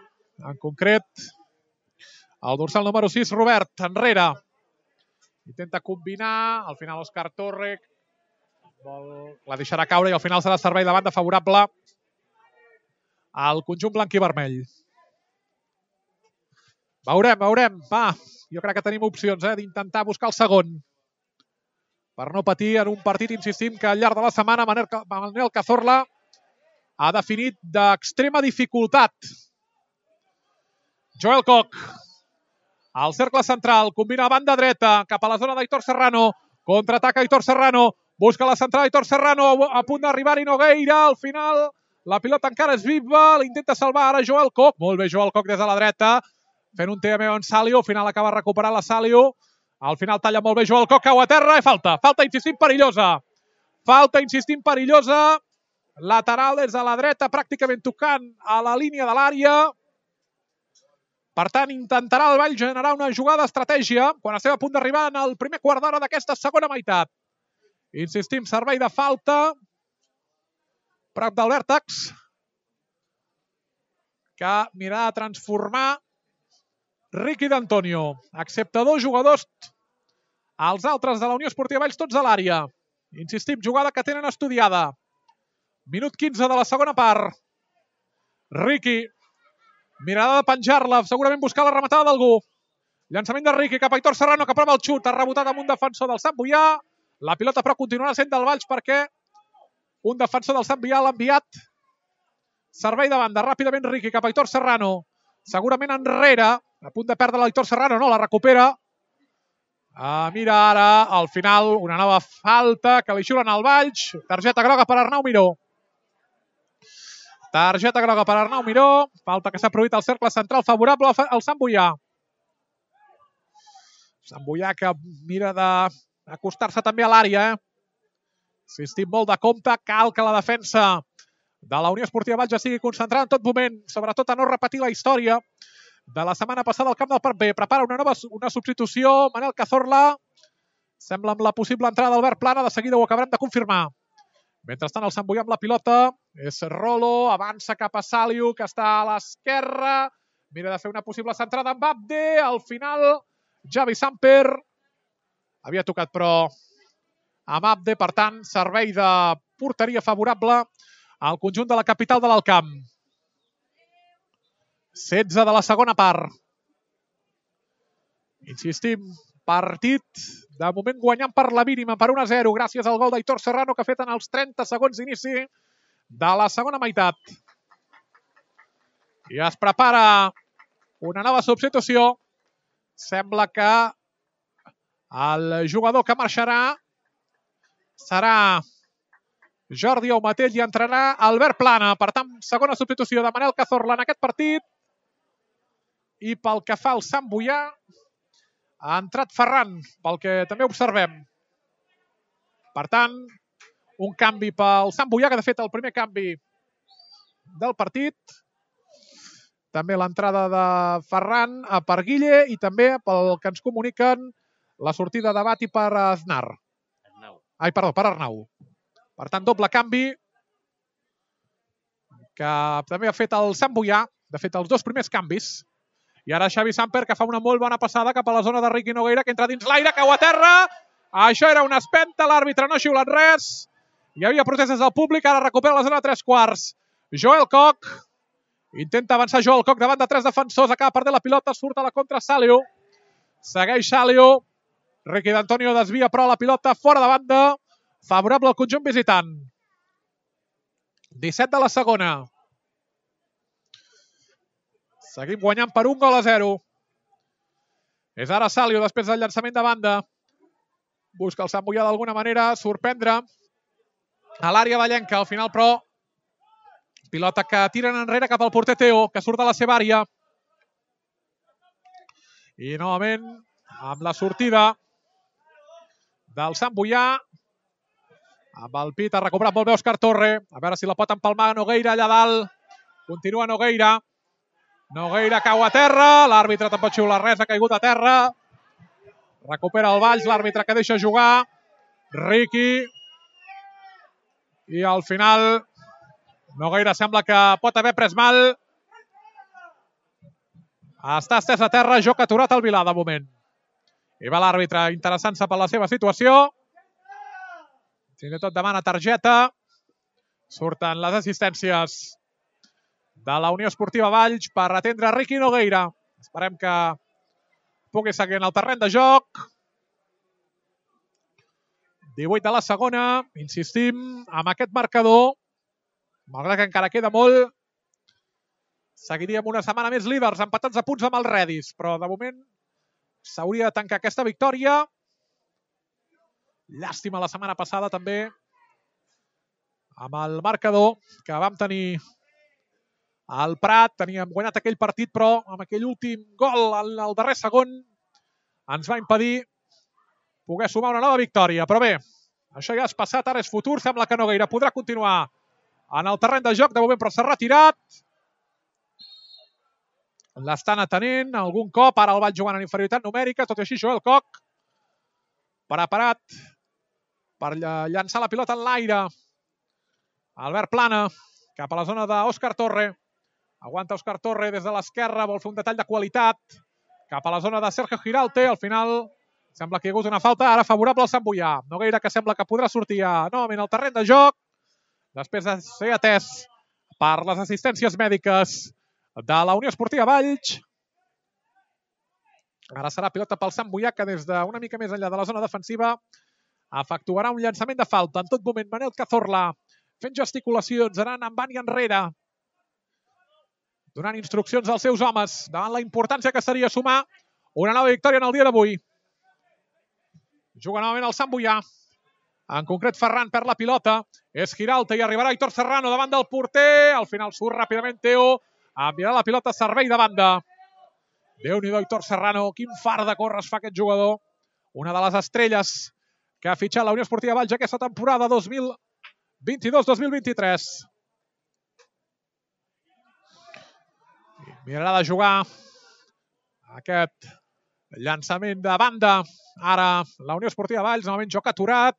En concret, el dorsal número sis, Robert, enrere. Intenta combinar. Al final, Òscar Torre la deixarà caure i al final serà servei de banda favorable al conjunt blanc i vermell. Veurem, veurem. Va, jo crec que tenim opcions eh, d'intentar buscar el segon. Per no patir en un partit, insistim, que al llarg de la setmana Manel Cazorla ha definit d'extrema dificultat. Joel Koch. Al cercle central, combina a banda dreta, cap a la zona d'Aitor Serrano. Contraataca Aitor Serrano. Busca la central Aitor Serrano, a punt d'arribar-hi Nogueira. Al final, la pilota encara és viva. L'intenta salvar ara Joel Koch. Molt bé Joel Koch des de la dreta. Fent un T M en Saliu. Al final acaba recuperant la Saliu. Al final talla molt bé Joel Koch. Cau a terra i falta. Falta, insistim, perillosa. Falta, insistim, perillosa. Lateral des de la dreta, pràcticament tocant a la línia de l'àrea. Per tant, intentarà el Valls generar una jugada d'estratègia quan estem a punt d'arribar en el primer quart d'hora d'aquesta segona meitat. Insistim, servei de falta prop del vèrtex, que mirarà de transformar Riqui d'Antonio. Excepte dos jugadors, els altres de la Unió Esportiva Valls tots a l'àrea. Insistim, jugada que tenen estudiada. Minut quinze de la segona part. Riqui. Mirada de penjar-la, segurament buscar la rematada d'algú. Llançament de Riqui cap a Aitor Serrano, que prova el xut. Ha rebotat amb un defensor del Sant Boià. La pilota però continuarà sent del Valls perquè un defensor del Sant Boià l'ha enviat. Servei de banda, ràpidament Riqui cap a Aitor Serrano. Segurament enrere, a punt de perdre l'Aitor Serrano, no, la recupera. Ah, mira ara, al final, una nova falta que li xulen al Valls. Targeta groga per Arnau Miró. Targeta groga per Arnau Miró. Falta que s'ha produït al cercle central favorable al Sant Boià. Sant Boià que mira d'acostar-se també a l'àrea. Eh? Insistim molt de compte. Cal que la defensa de la Unió Esportiva Valls ja sigui concentrada en tot moment, sobretot a no repetir la història de la setmana passada al camp del Parc B. Prepara una nova una substitució. Manel Cazorla. Sembla amb la possible entrada d'Albert Plana. De seguida ho acabarem de confirmar. Mentrestant, el Sant Boià amb la pilota. És Rolo. Avança cap a Saliu, que està a l'esquerra. Mira de fer una possible centrada amb Abde. Al final, Javi Samper. Havia tocat, però, amb Abde. Per tant, servei de porteria favorable al conjunt de la capital de l'Alt Camp. setze de la segona part. Insistim, partit de moment guanyant per la mínima, per un a zero, gràcies al gol d'Aitor Serrano que ha fet en els trenta segons d'inici de la segona meitat. I es prepara una nova substitució. Sembla que el jugador que marxarà serà Jordi Aumatell i entrarà Albert Plana. Per tant, segona substitució de Manel Cazorla en aquest partit. I pel que fa al Sant Boià, ha entrat Ferran, pel que també observem. Per tant, un canvi pel Sant Boià, que de fet el primer canvi del partit. També l'entrada de Ferran per Guille i també pel que ens comuniquen la sortida de Bati per Aznar. Ai, perdó, per Arnau. Per tant, doble canvi que també ha fet el Sant Boià. De fet, els dos primers canvis. I ara Xavi Samper, que fa una molt bona passada cap a la zona de Riqui Nogueira, que entra dins l'aire, cau a terra. Això era una espenta, l'àrbitre no ha xiulat res. Hi havia protestes del públic, ara recupera la zona de tres quarts. Joel Koch. Intenta avançar Joel Koch davant de tres defensors, acaba perdent la pilota, surt a la contra Saliu. Segueix Saliu. Riqui d'Antonio desvia però la pilota fora de banda. Favorable al conjunt visitant. disset de la segona. Seguim guanyant per un gol a zero. És ara Saliu després del llançament de banda. Busca el Sant Boià d'alguna manera sorprendre a l'àrea vallenca. Al final, però, pilota que tiren enrere cap al porter Teo, que surt de la seva àrea. I novament, amb la sortida del Sant Boià, amb el pit ha recuperat molt bé Òscar Torre. A veure si la pot empalmar Nogueira allà dalt. Continua Nogueira. Nogueira cau a terra. L'àrbitre tampoc xiula res, ha caigut a terra. Recupera el Valls, l'àrbitre que deixa jugar. Riqui. I al final Nogueira sembla que pot haver pres mal. Està estès a terra, joc aturat al Vilà de moment. I va l'àrbitre interessant-se per la seva situació. Fins i tot demana targeta. Surten les assistències de la Unió Esportiva Valls per atendre Riqui Nogueira. Esperem que pugui seguir en el terreny de joc. divuit de la segona. Insistim amb aquest marcador. Malgrat que encara queda molt, seguiríem una setmana més líders, empatats a punts amb els Redis. Però de moment s'hauria de tancar aquesta victòria. Llàstima la setmana passada també amb el marcador que vam tenir al Prat. Teníem guanyat aquell partit, però amb aquell últim gol al darrer segon ens va impedir poder sumar una nova victòria. Però bé, això ja és passat, ara és futur. Sembla que Nogueira podrà continuar en el terreny de joc. De moment, però s'ha retirat. L'estan atenent algun cop. Ara el Valls jugant en inferioritat numèrica. Tot i així, Joel Koch preparat per llançar la pilota en l'aire. Albert Plana, cap a la zona d'Òscar Torre. Aguanta Òscar Torre des de l'esquerra, vol fer un detall de qualitat. Cap a la zona de Sergio Giralt, al final sembla que hi ha hagut una falta ara favorable al Sant Boià. Nogueira, que sembla que podrà sortir novament al terreny de joc, després de ser atès per les assistències mèdiques de la Unió Esportiva Valls. Ara serà pilota pel Sant Boià, que des d'una mica més enllà de la zona defensiva efectuarà un llançament de falta. En tot moment, Manel Cazorla fent gesticulacions, anant endavant i enrere, donant instruccions als seus homes davant la importància que seria sumar una nova victòria en el dia d'avui. Juga novament el Sant Boià. En concret, Ferran perd la pilota. És Giralt i arribarà Aitor Serrano davant del porter. Al final surt ràpidament Teo. Enviarà la pilota a servei de banda. Déu-n'hi-do, Aitor Serrano. Quin far de córrer es fa aquest jugador. Una de les estrelles que ha fitxat la Unió Esportiva Valls aquesta temporada dos mil vint-i-dos dos mil vint-i-tres. Mirarà de jugar aquest llançament de banda. Ara la Unió Esportiva Valls, novament joc aturat.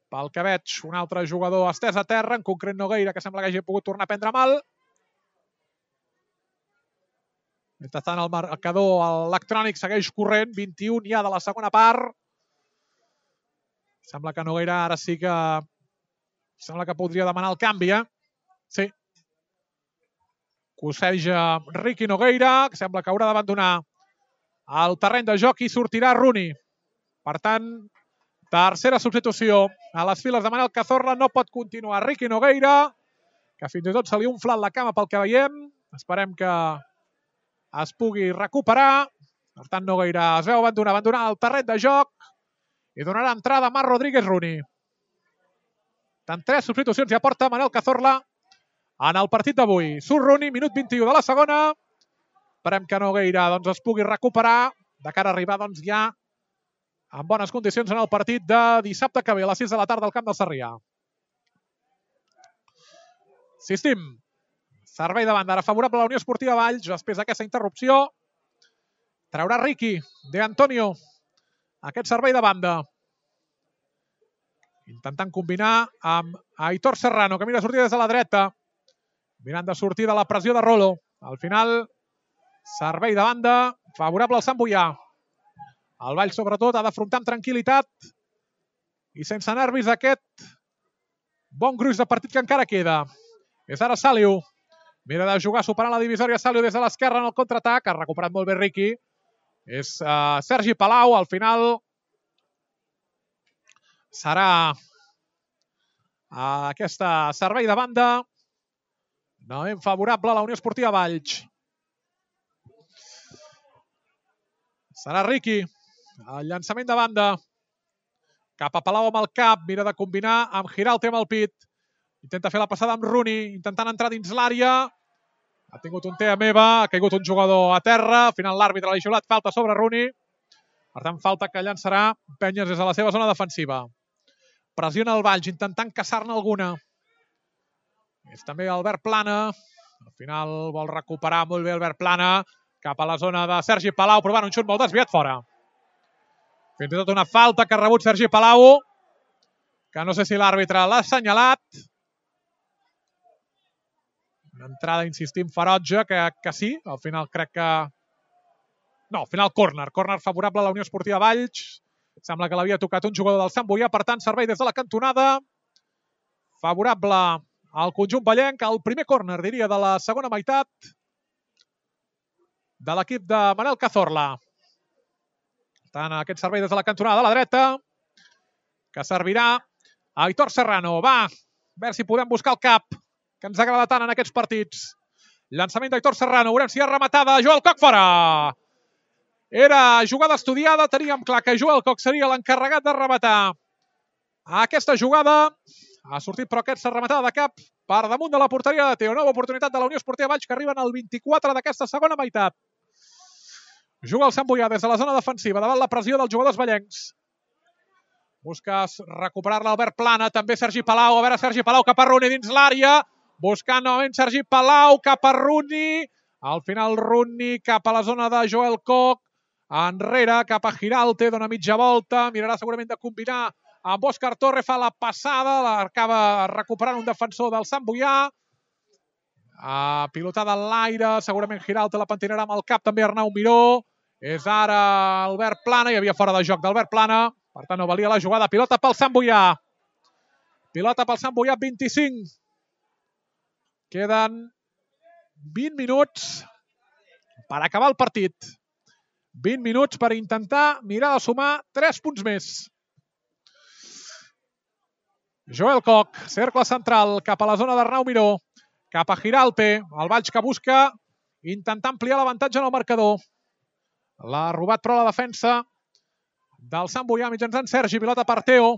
Pel que veig, un altre jugador estès a terra, en concret Nogueira, que sembla que hagi pogut tornar a prendre mal. Mentrestant, el marcador electrònic segueix corrent, vint-i-u ja de la segona part. Sembla que Nogueira ara sí que... Sembla que podria demanar el canvi, eh? Sí. Cosseja Riqui Nogueira, que sembla que haurà d'abandonar el terreny de joc i sortirà Rooney. Per tant, tercera substitució a les files de Manel Cazorla. No pot continuar Riqui Nogueira, que fins i tot se li ha inflat la cama pel que veiem. Esperem que es pugui recuperar. Per tant, Nogueira es veu abandonar, abandonar el terreny de joc i donarà entrada a Marc Rodríguez Rooney. Tant tres substitucions ja porta Manel Cazorla en el partit d'avui. Surt Rooney, minut vint-i-u de la segona. Esperem que Nogueira doncs, es pugui recuperar de cara a arribar doncs, ja en bones condicions en el partit de dissabte que ve a les sis de la tarda al camp del Sarrià. Insistim, servei de banda ara favorable a la Unió Esportiva Valls. Després d'aquesta interrupció traurà Riqui de Antonio aquest servei de banda. Intentant combinar amb Aitor Serrano, que mira a sortir des de la dreta. Mirant de sortir de la pressió de Rolo. Al final, servei de banda favorable al Sant Boià. El Valls, sobretot, ha d'afrontar amb tranquil·litat i sense nervis aquest bon gruix de partit que encara queda. És ara Saliu. Mira de jugar superant la divisòria Saliu des de l'esquerra en el contraatac. Ha recuperat molt bé Riqui. És uh, Sergi Palau. Al final serà uh, aquesta servei de banda novament favorable a la Unió Esportiva Valls. Serà Riqui. El llançament de banda. Cap a Palau amb el cap. Mira de combinar amb Giralt amb el pit. Intenta fer la passada amb Rooney. Intentant entrar dins l'àrea. Ha tingut un tea meva. Ha caigut un jugador a terra. Al final l'àrbitre l'ha xiulat. Falta sobre Rooney. Per tant, falta que llançarà Penyes des de la seva zona defensiva. Pressiona el Valls intentant caçar-ne alguna. És també Albert Plana. Al final vol recuperar molt bé Albert Plana. Cap a la zona de Sergi Palau, provant un xut molt desviat fora. Fins i tot una falta que ha rebut Sergi Palau, que no sé si l'àrbitre l'ha assenyalat. Una entrada, insistim, ferotge, que, que sí. Al final crec que... No, al final córner. Córner favorable a la Unió Esportiva Valls. Sembla que l'havia tocat un jugador del Sant Boià, per tant, servei des de la cantonada. Favorable al conjunt vallenc. El primer córner, diria, de la segona meitat de l'equip de Manel Cazorla. Per tant, aquest servei des de la cantonada de la dreta, que servirà a Aitor Serrano. Va, a veure si podem buscar el cap, que ens agrada tant en aquests partits. Llançament d'Aitor Serrano. Veurem si ha rematada. Joel Coc fora. Era jugada estudiada. Teníem clar que Joel Coc seria l'encarregat de rematar aquesta jugada. Ha sortit, però aquesta rematada de cap per damunt de la porteria de Teo. Nova oportunitat de la Unió Esportiva Valls, que arriben al vint-i-quatre d'aquesta segona meitat. Juga el Sant Boià des de la zona defensiva, davant la pressió dels jugadors vallencs. Busca recuperar-la Albert Plana, també Sergi Palau. A veure, Sergi Palau cap a Rooney dins l'àrea. Buscant novament Sergi Palau cap a Rooney. Al final Rooney cap a la zona de Joel Coc. Enrere, cap a Giralt, dona mitja volta. Mirarà segurament de combinar amb Òscar Torre, fa la passada, l'acaba recuperant un defensor del Sant Boià. Uh, pilotada en l'aire, segurament Giralt la pentinarà amb el cap, també Arnau Miró. És ara Albert Plana, hi havia fora de joc d'Albert Plana, per tant no valia la jugada. Pilota pel Sant Boià. Pilota pel Sant Boià, vint-i-cinc. Queden vint minuts per acabar el partit. vint minuts per intentar mirar de sumar tres punts més. Joel Koch, cercle central, cap a la zona d'Arnau Miró, cap a Giralte, el Valls que busca intentar ampliar l'avantatge en el marcador. L'ha robat però la defensa del Sant Boià mitjançant Sergi, pilota per Teo.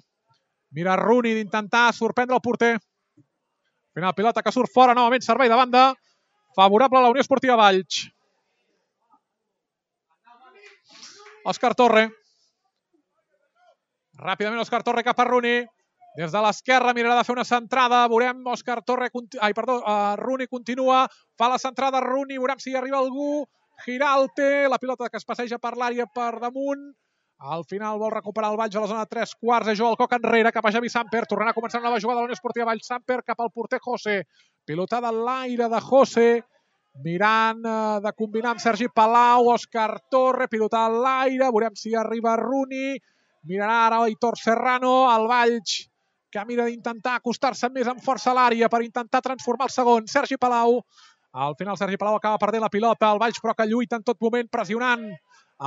Mira Rooney d'intentar sorprendre el porter. Al final pilota que surt fora, novament servei de banda, favorable a la Unió Esportiva Valls. Òscar Torre. Ràpidament Òscar Torre cap a Rooney. Des de l'esquerra mirarà de fer una centrada. Veurem Òscar Torre... Ai, perdó, uh, Rooney continua. Fa la centrada Rooney. Veurem si hi arriba algú. Giralte. La pilota que es passeja per l'àrea per damunt. Al final vol recuperar el Valls a la zona de tres quarts. És Joel Koch enrere cap a Javi Samper. Tornarà a començar una nova jugada de la Unió Esportiva Valls. Samper cap al porter José. Pilotada a l'aire de José. Mirant uh, de combinar amb Sergi Palau. Òscar Torre. Pilotada a l'aire. Veurem si arriba Rooney. Mirarà ara Aitor Serrano. El Valls que mira d'intentar acostar-se més amb força a l'àrea per intentar transformar el segon. Sergi Palau. Al final Sergi Palau acaba perdent la pilota. El Valls però que lluita en tot moment pressionant.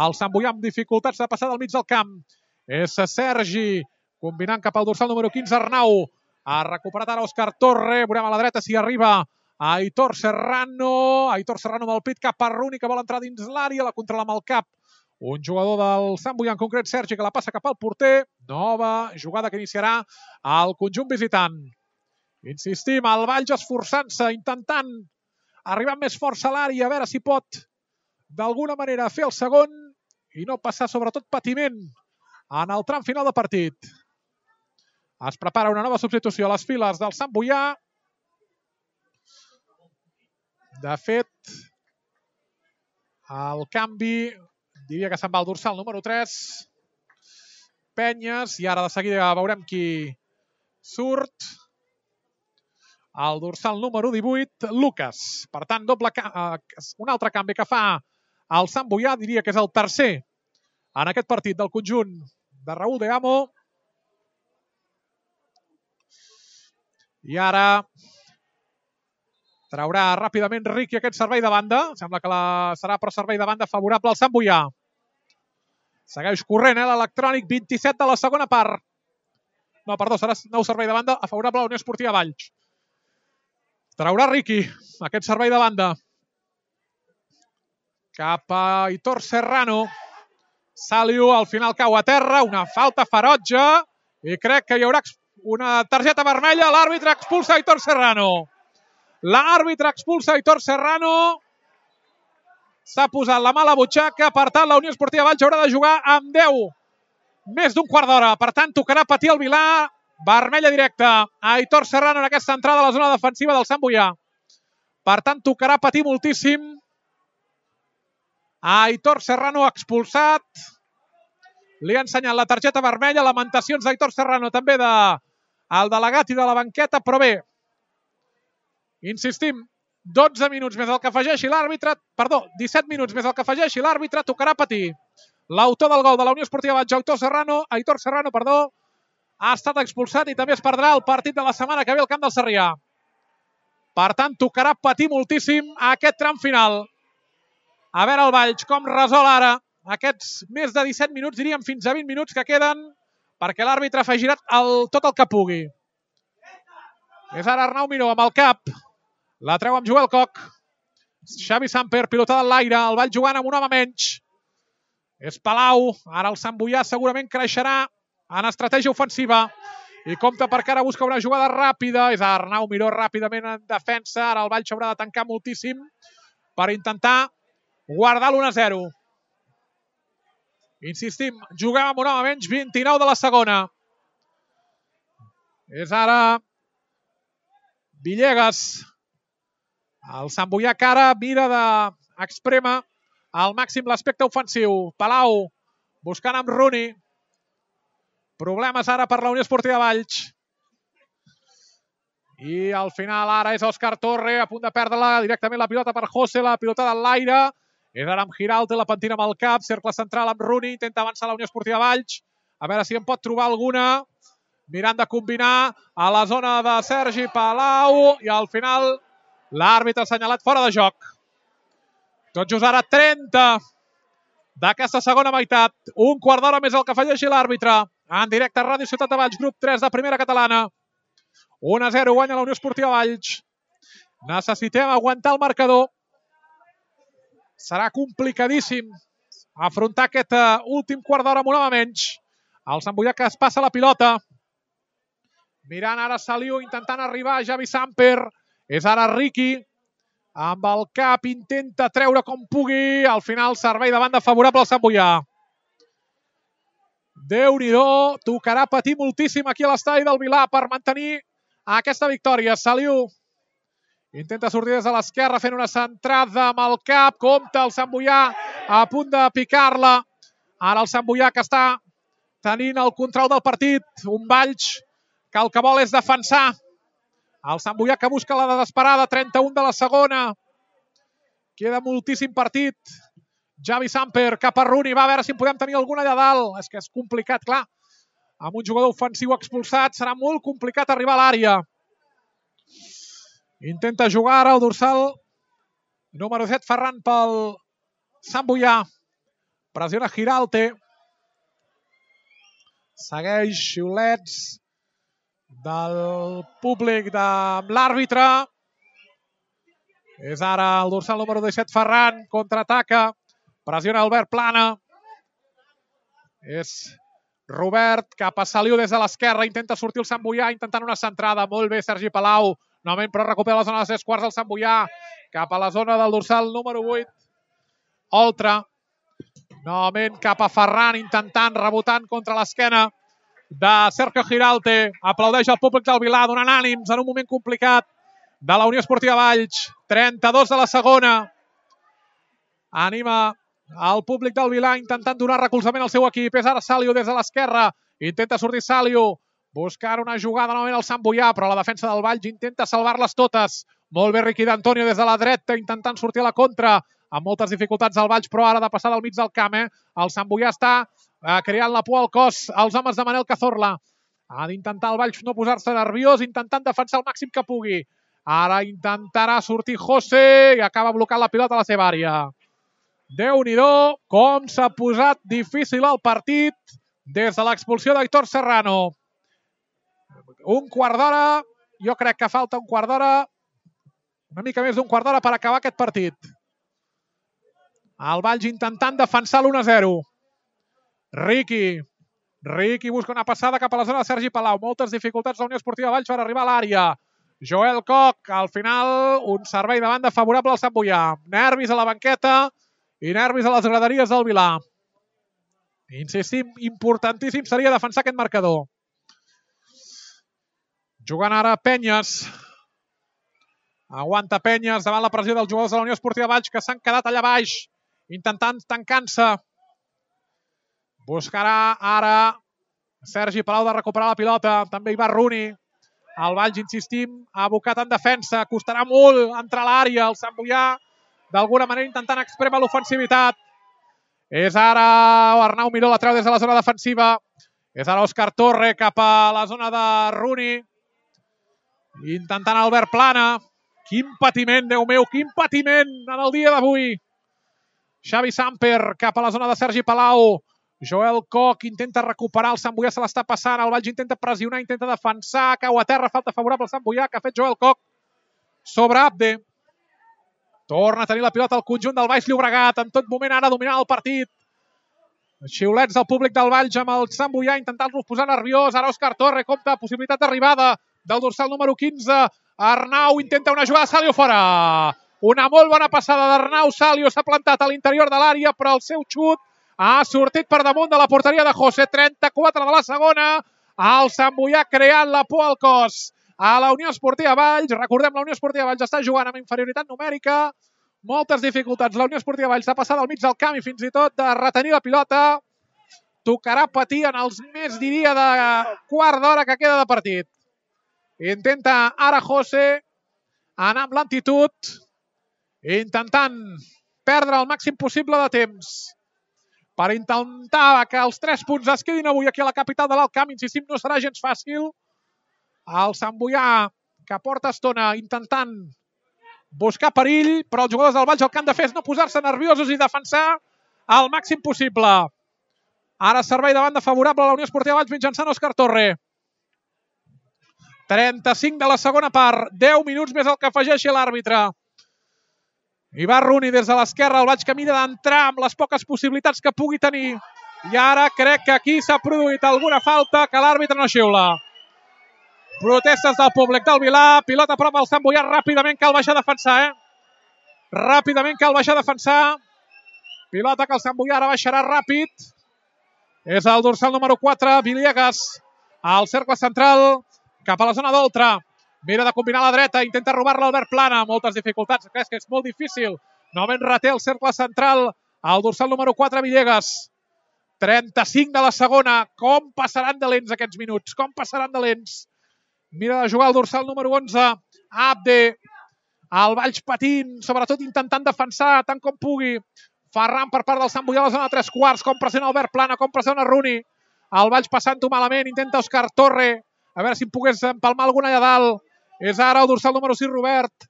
El Sant Boià amb dificultats de passar del mig del camp. És Sergi combinant cap al dorsal número quinze Arnau. Ha recuperat ara Òscar Torre. Veurem a la dreta si arriba Aitor Serrano. Aitor Serrano amb el pit cap a Rooney que vol entrar dins l'àrea. La controla amb el cap un jugador del Sant Boià, en concret Sergi, que la passa cap al porter. Nova jugada que iniciarà el conjunt visitant. Insistim, el Valls esforçant-se, intentant arribar amb més força a l'àrea, a veure si pot d'alguna manera fer el segon i no passar sobretot patiment en el tram final de partit. Es prepara una nova substitució a les files del Sant Boià. De fet, el canvi diria que se'n va al dorsal número tres. Penyes, i ara de seguida veurem qui surt. El dorsal número divuit, Lucas. Per tant, doble un altre canvi que fa el Sant Boià, diria que és el tercer en aquest partit del conjunt de Raúl de Amo. I ara traurà ràpidament Riqui aquest servei de banda. Sembla que la serà però servei de banda favorable al Sant Boià. Segueix corrent eh, l'electrònic, vint-i-set de la segona part. No, perdó, serà nou servei de banda favorable a la Unió Esportiva Valls. Traurà Riqui aquest servei de banda. Cap a Aitor Serrano. Saliu, al final cau a terra, una falta ferotge i crec que hi haurà una targeta vermella. L'àrbitre expulsa Aitor Serrano. L'àrbitre expulsa Aitor Serrano. S'ha posat la mà a la butxaca. Per tant, la Unió Esportiva Valls haurà de jugar amb deu. Més d'un quart d'hora. Per tant, tocarà patir el Vilà. Vermella directa a Aitor Serrano en aquesta entrada a la zona defensiva del Sant Boià. Per tant, tocarà patir moltíssim. Aitor Serrano expulsat. Li ha ensenyat la targeta vermella. Lamentacions d'Aitor Serrano, també del delegat i de la banqueta, però bé. Insistim, dotze minuts més el que afegeixi l'àrbitre, perdó, disset minuts més el que afegeixi l'àrbitre, tocarà patir. L'autor del gol de la Unió Esportiva Valls, Aitor Serrano, Aitor Serrano, perdó, ha estat expulsat i també es perdrà el partit de la setmana que ve al camp del Sarrià. Per tant, tocarà patir moltíssim aquest tram final. A veure el Valls com resol ara aquests més de disset minuts, diríem fins a vint minuts que queden, perquè l'àrbitre afegirà el, tot el que pugui. És ara Arnau Miró amb el cap. La treu amb Joel Koch. Xavi Samper, pilotada en l'aire. El Valls jugant amb un home menys. És Palau. Ara el Sant Boià segurament creixerà en estratègia ofensiva. I compta perquè ara busca una jugada ràpida. És Arnau Miró ràpidament en defensa. Ara el Valls haurà de tancar moltíssim per intentar guardar l'u a zero. Insistim, juguem amb un home menys, vint-i-nou de la segona. És ara Villegas. El Sant Boià que ara mira d'exprema al màxim l'aspecte ofensiu. Palau buscant amb Rooney. Problemes ara per la Unió Esportiva Valls. I al final ara és Òscar Torre, a punt de perdre-la directament la pilota per José, la pilota de l'aire. És ara amb Giralt, la pentina amb el cap, cercle central amb Rooney, intenta avançar la Unió Esportiva Valls. A veure si en pot trobar alguna. Mirant de combinar a la zona de Sergi Palau i al final l'àrbitre ha assenyalat fora de joc. Tot just ara trenta d'aquesta segona meitat. Un quart d'hora més el que afegeixi l'àrbitre. En directe a Ràdio Ciutat de Valls, grup tres de primera catalana. un a zero guanya la Unió Esportiva Valls. Necessitem aguantar el marcador. Serà complicadíssim afrontar aquest últim quart d'hora amb un home menys. El Sant Boià que es passa la pilota. Mirant ara Saliu, intentant arribar a Javi Samper. És ara Riqui. Amb el cap intenta treure com pugui. Al final servei de banda favorable al Sant Boià. Déu-n'hi-do. Tocarà patir moltíssim aquí a l'estadi del Vilà per mantenir aquesta victòria. Saliu intenta sortir des de l'esquerra fent una centrada amb el cap. Compte el Sant Boià a punt de picar-la. Ara el Sant Boià que està tenint el control del partit. Un Valls que el que vol és defensar. El Sant Boià que busca la desesperada. trenta-u de la segona. Queda moltíssim partit. Javi Samper cap a Rooney. Va a veure si en podem tenir alguna allà dalt. És que és complicat, clar. Amb un jugador ofensiu expulsat serà molt complicat arribar a l'àrea. Intenta jugar ara el dorsal número set, Ferran, pel Sant Boià. Pressiona Giralte. Segueix xiulets del públic de l'àrbitre. És ara el dorsal número disset, Ferran. Contraataca. Pressiona Albert Plana. És Robert cap a Saliu des de l'esquerra. Intenta sortir el Sant Boià intentant una centrada. Molt bé Sergi Palau. Novament però recupera la zona de tres quarts del Sant Boià. Cap a la zona del dorsal número vuit. Oltra. Novament cap a Ferran intentant, rebotant contra l'esquena de Sergio Giralte. Aplaudeix el públic del Vilà donant ànims en un moment complicat de la Unió Esportiva Valls. trenta-dos de la segona. Anima el públic del Vilà intentant donar recolzament al seu equip. És ara Saliu des de l'esquerra. Intenta sortir Saliu. Buscar una jugada novament al Sant Boià, però la defensa del Valls intenta salvar-les totes. Molt bé Riqui d'Antonio des de la dreta intentant sortir a la contra. Amb moltes dificultats al Valls, però ara de passar del mig del camp. Eh? El Sant Boià està eh, creant la por al cos als homes de Manel Cazorla. Ha d'intentar el Valls no posar-se nerviós, intentant defensar el màxim que pugui. Ara intentarà sortir José i acaba blocant la pilota a la seva àrea. Déu-n'hi-do, com s'ha posat difícil el partit des de l'expulsió d'Aitor Serrano. Un quart d'hora, jo crec que falta un quart d'hora, una mica més d'un quart d'hora per acabar aquest partit. El Valls intentant defensar l'u a zero. Riqui. Riqui busca una passada cap a la zona de Sergi Palau. Moltes dificultats de la Unió Esportiva Valls per arribar a l'àrea. Joel Koch, al final, un servei de banda favorable al Sant Boià. Nervis a la banqueta i nervis a les graderies del Vilà. Insistim, importantíssim seria defensar aquest marcador. Jugant ara Penyes. Aguanta Penyes davant la pressió dels jugadors de la Unió Esportiva Valls que s'han quedat allà baix, intentant tancar-se. Buscarà ara Sergi Palau de recuperar la pilota. També hi va Rooney. El Valls, insistim, ha abocat en defensa. Costarà molt entrar a l'àrea. El Sant Boià, d'alguna manera, intentant exprémer l'ofensivitat. És ara Arnau Miró, la treu des de la zona defensiva. És ara Òscar Torre cap a la zona de Rooney. Intentant Albert Plana. Quin patiment, Déu meu, quin patiment en el dia d'avui. Xavi Samper cap a la zona de Sergi Palau. Joel Koch intenta recuperar, el Sant Boià se l'està passant, el Valls intenta pressionar, intenta defensar, cau a terra, falta favorable al Sant Boià, que ha fet Joel Koch sobre Abde. Torna a tenir la pilota al conjunt del Baix Llobregat, en tot moment ara dominant el partit. Xiulets del públic del Valls amb el Sant Boià intentant-los posar nerviós. Ara Òscar Torre compta possibilitat d'arribada del dorsal número quinze. Arnau intenta una jugada, Salio fora. Una molt bona passada d'Arnau. Salio s'ha plantat a l'interior de l'àrea, però el seu xut ha sortit per damunt de la porteria de José. trenta-quatre de la segona. El Sant Boià creant la por al cos a la Unió Esportiva Valls. Recordem, la Unió Esportiva Valls està jugant amb inferioritat numèrica. Moltes dificultats. La Unió Esportiva Valls s'ha passat al mig del camp i fins i tot de retenir la pilota. tocarà patir en els més, diria, de quart d'hora que queda de partit. Intenta ara José anar amb lentitud, intentant perdre el màxim possible de temps per intentar que els tres punts es quedin avui aquí a la capital de l'Alt Camp. Insistim, no serà gens fàcil. El Sant Boià, que porta estona intentant buscar perill, però els jugadors del Valls el que han de fer és no posar-se nerviosos i defensar al màxim possible. Ara servei de banda favorable a la Unió Esportiva Valls mitjançant Òscar Torre. trenta-cinc de la segona part, deu minuts més el que afegeixi l'àrbitre. I va Rooney des de l'esquerra, el Valls que mira d'entrar amb les poques possibilitats que pugui tenir. I ara crec que aquí s'ha produït alguna falta que l'àrbitre no xiula. Protestes del públic del Vilà, pilota a prop al Sant Boià, ràpidament cal baixar a defensar, eh? Ràpidament cal baixar a defensar. Pilota que el Sant Boià ara baixarà ràpid. És el dorsal número quatre, Villegas, al cercle central, cap a la zona d'Oltra. Mira de combinar a la dreta, intenta robar-la Albert Plana. Moltes dificultats, és que és molt difícil. Novament reté el cercle central, al dorsal número quatre, Villegas. trenta-cinc de la segona. Com passaran de lents aquests minuts? Com passaran de lents? Mira de jugar el dorsal número onze, Abde. El Valls patint, sobretot intentant defensar tant com pugui. Ferran per part del Sant Boià a la zona de tres quarts. Com pressiona Albert Plana, com pressiona Rooney. El Valls passant-ho malament, intenta Òscar Torre. A veure si em pogués empalmar alguna allà dalt. És ara el dorsal número sis, Robert.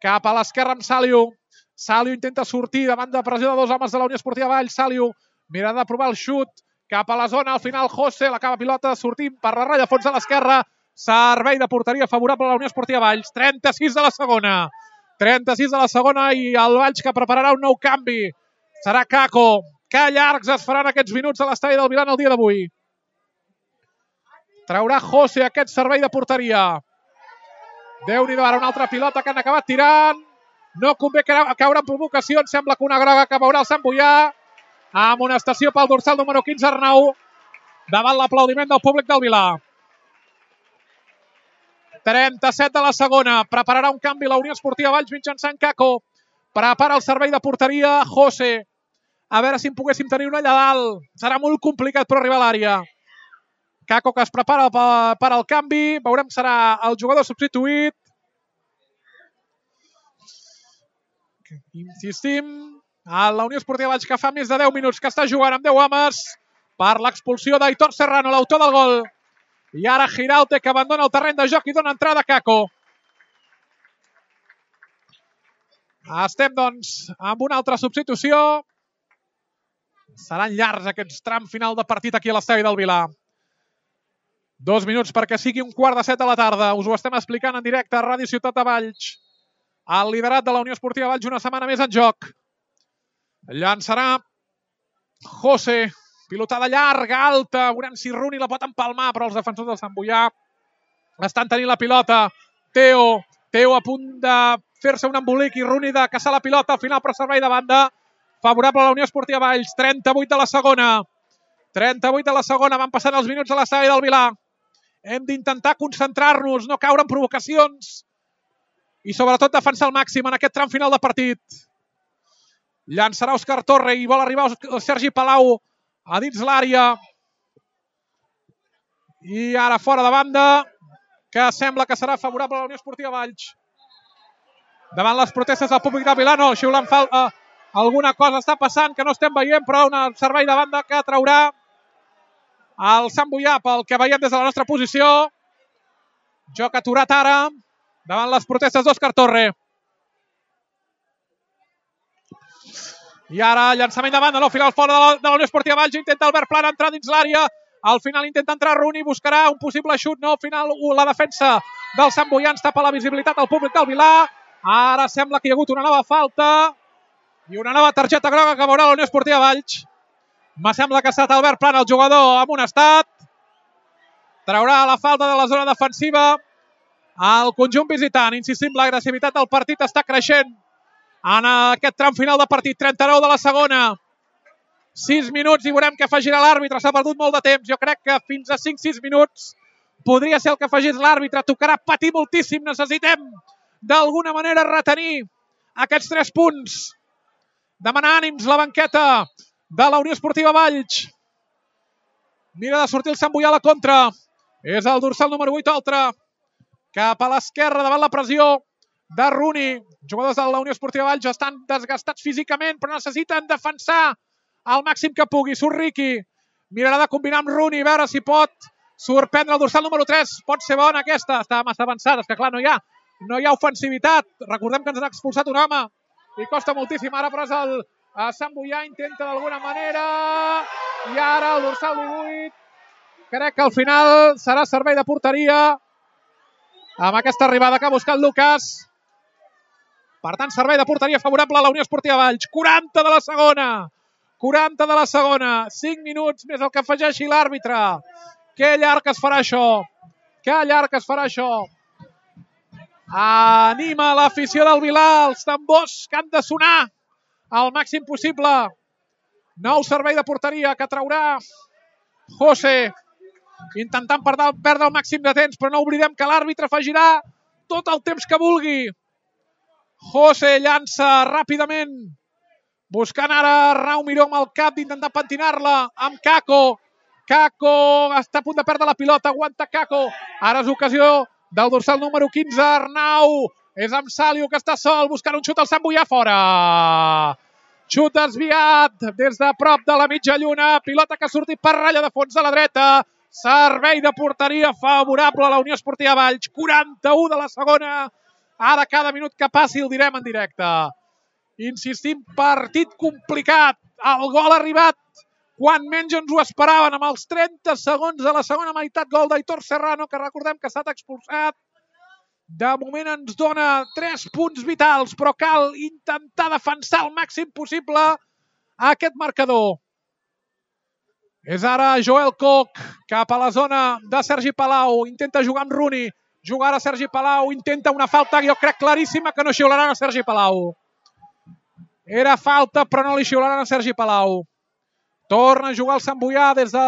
Cap a l'esquerra amb Saliu. Saliu intenta sortir davant de pressió de dos homes de la Unió Esportiva Valls. Saliu mira de provar el xut. Cap a la zona, al final José, l'acaba pilota sortint per la ratlla fons de l'esquerra. Servei de porteria favorable a la Unió Esportiva Valls. trenta-sis de la segona. trenta-sis de la segona i el Valls que prepararà un nou canvi. Serà Caco. Que llargs es faran aquests minuts a l'estadi del Vilà el dia d'avui. Traurà José aquest servei de porteria. Déu-n'hi-do, ara una altra pilota que han acabat tirant. No convé caure en provocació. Em sembla que una groga que veurà el Sant Boià. Amonestació pel dorsal número quinze, Arnau, davant l'aplaudiment del públic del Vilà. trenta-set de la segona. Prepararà un canvi la Unió Esportiva Valls mitjançant Caco. Prepara el servei de porteria José. A veure si en poguéssim tenir una allà dalt. Serà molt complicat per arribar a l'àrea. Caco que es prepara per al canvi. Veurem que serà el jugador substituït. Insistim. A la Unió Esportiva Valls que fa més de deu minuts que està jugant amb deu homes per l'expulsió d'Aitor Serrano, l'autor del gol. I ara Giraute que abandona el terreny de joc i dona entrada a Caco. Estem, doncs, amb una altra substitució. Seran llargs aquests tram final de partit aquí a l'estadi del Vilà. Dos minuts perquè sigui un quart de set de la tarda. Us ho estem explicant en directe a Ràdio Ciutat de Valls. El liderat de la Unió Esportiva Valls una setmana més en joc. Llançarà José. Pilotada llarga, alta. Veurem si Rooney la pot empalmar, però els defensors del Sant Boià estan tenint la pilota. Teo. Teo a punt de fer-se un embolic i Rooney de caçar la pilota. Al final, però servei de banda favorable a la Unió Esportiva Valls. trenta-vuit de la segona. trenta-vuit de la segona. Van passant els minuts a l'estadi del Vilà. Hem d'intentar concentrar-nos, no caure en provocacions i sobretot defensar al màxim en aquest tram final de partit. Llançarà Òscar Torre i vol arribar Sergi Palau a dins l'àrea. I ara fora de banda, que sembla que serà favorable a la Unió Esportiva Valls. Davant les protestes del públic de Vilà, no, xiulant falta. Alguna cosa està passant que no estem veient, però un servei de banda que traurà el Sant Boià pel que veiem des de la nostra posició. Joc aturat ara davant les protestes d'Òscar Torre. I ara llançament de banda, no, al final fora de la, de la Unió Esportiva Valls, intenta Albert Plana entrar dins l'àrea, al final intenta entrar Rooney, buscarà un possible xut, no, al final la defensa del Sant Boià ens tapa la visibilitat al públic del Vilà. Ara sembla que hi ha hagut una nova falta i una nova targeta groga que veurà la Unió Esportiva Valls. Me sembla que ha estat Albert Plana el jugador amonestat. Traurà la falta de la zona defensiva al conjunt visitant. Insistim, l'agressivitat del partit està creixent en aquest tram final de partit. trenta-nou de la segona. sis minuts i veurem què afegirà l'àrbitre. S'ha perdut molt de temps. Jo crec que fins a cinc sis minuts podria ser el que afegís l'àrbitre. Tocarà patir moltíssim. Necessitem d'alguna manera retenir aquests tres punts. Demanar ànims la banqueta de la Unió Esportiva Valls. Mira de sortir el Sant Boià a la contra. És el dorsal número vuit, Oltra. Cap a l'esquerra, davant la pressió de Rooney. Jugadors de la Unió Esportiva Valls estan desgastats físicament, però necessiten defensar al màxim que pugui. Surt Riqui. Mirarà de combinar amb Rooney, a veure si pot sorprendre el dorsal número tres. Pot ser bona aquesta. Està massa avançada. És que clar, no hi ha, no hi ha ofensivitat. Recordem que ens han expulsat un home i costa moltíssim. Ara però és el Sant Boià, intenta d'alguna manera. I ara el dorsal divuit. Crec que al final serà servei de porteria amb aquesta arribada que ha buscat Lucas. Per tant, servei de porteria favorable a la Unió Esportiva Valls. quaranta de la segona. quaranta de la segona. cinc minuts més el que afegeixi l'àrbitre. Que llarg es farà això. Que llarg es farà això. Anima l'afició del Vilar. Els tambors que han de sonar al màxim possible. Nou servei de porteria que traurà José. Intentant perdre el màxim de temps, però no oblidem que l'àrbitre afegirà tot el temps que vulgui. José llança ràpidament, buscant ara Rau Miró amb el cap d'intentar pentinar-la amb Kako. Kako està a punt de perdre la pilota, aguanta Kako. Ara és ocasió del dorsal número quinze, Arnau. És amb Saliu que està sol, buscant un xut al Sant Boià fora. Xut desviat des de prop de la mitja lluna. Pilota que ha sortit per ratlla de fons a la dreta. Servei de porteria favorable a la Unió Esportiva Valls. quaranta-u de la segona. Ara cada minut que passi el direm en directe. Insistim, partit complicat. El gol ha arribat quan menys ens ho esperaven. Amb els trenta segons de la segona meitat, gol d'Aitor Serrano, que recordem que ha estat expulsat. De moment ens dona tres punts vitals, però cal intentar defensar el màxim possible aquest marcador. És ara Joel Koch cap a la zona de Sergi Palau. Intenta jugar amb Rooney. Jugar a Sergi Palau. Intenta una falta, jo crec, claríssima, que no xiularan a Sergi Palau. Era falta, però no li xiularan a Sergi Palau. Torna a jugar el Sant Boià des de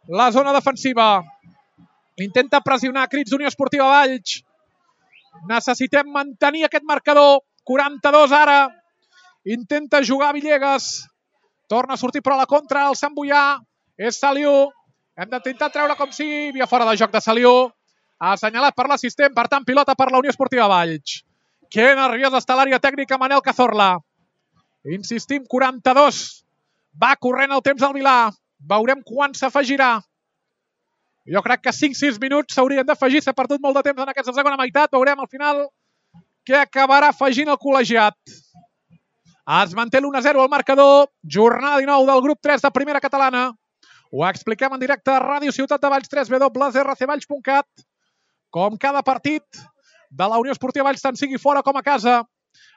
la zona defensiva. Intenta pressionar, crits d'Unió Esportiva Valls. Necessitem mantenir aquest marcador. quaranta-dos ara. Intenta jugar Villegas. Torna a sortir però a la contra el Sant Boià. És Saliu. Hem d'intentar treure com sigui. Via fora de joc de Saliu. Assenyalat per l'assistent. Per tant, pilota per la Unió Esportiva Valls. Que nerviós està l'àrea tècnica Manel Cazorla. Insistim, quaranta-dos. Va corrent el temps al Vilar. Veurem quan s'afegirà. Jo crec que cinc sis minuts s'haurien d'afegir. S'ha perdut molt de temps en aquesta segona meitat. Veurem al final què acabarà afegint el col·legiat. Es manté l'u a zero al marcador. Jornada dinou del grup tres de Primera Catalana. Ho expliquem en directe a Ràdio Ciutat de Valls, w w w punt r c valls punt cat. Com cada partit de la Unió Esportiva Valls, tant sigui fora com a casa,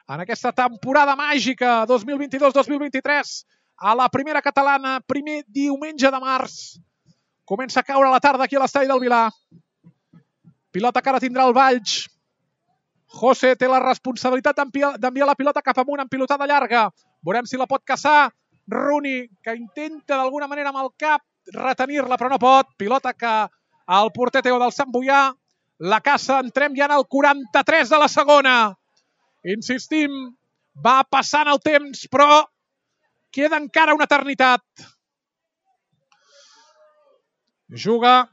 en aquesta temporada màgica dos mil vint-i-dos dos mil vint-i-tres, a la Primera Catalana, primer diumenge de març. Comença a caure la tarda aquí a l'estadi del Vilar. Pilota que ara tindrà el Valls. José té la responsabilitat d'enviar la pilota cap amunt en pilotada llarga. Veurem si la pot caçar Rooney, que intenta d'alguna manera amb el cap retenir-la, però no pot. Pilota que el porter Teo del Sant Boià la caça. Entrem ja en el quaranta-tres de la segona. Insistim, va passant el temps, però queda encara una eternitat. Juga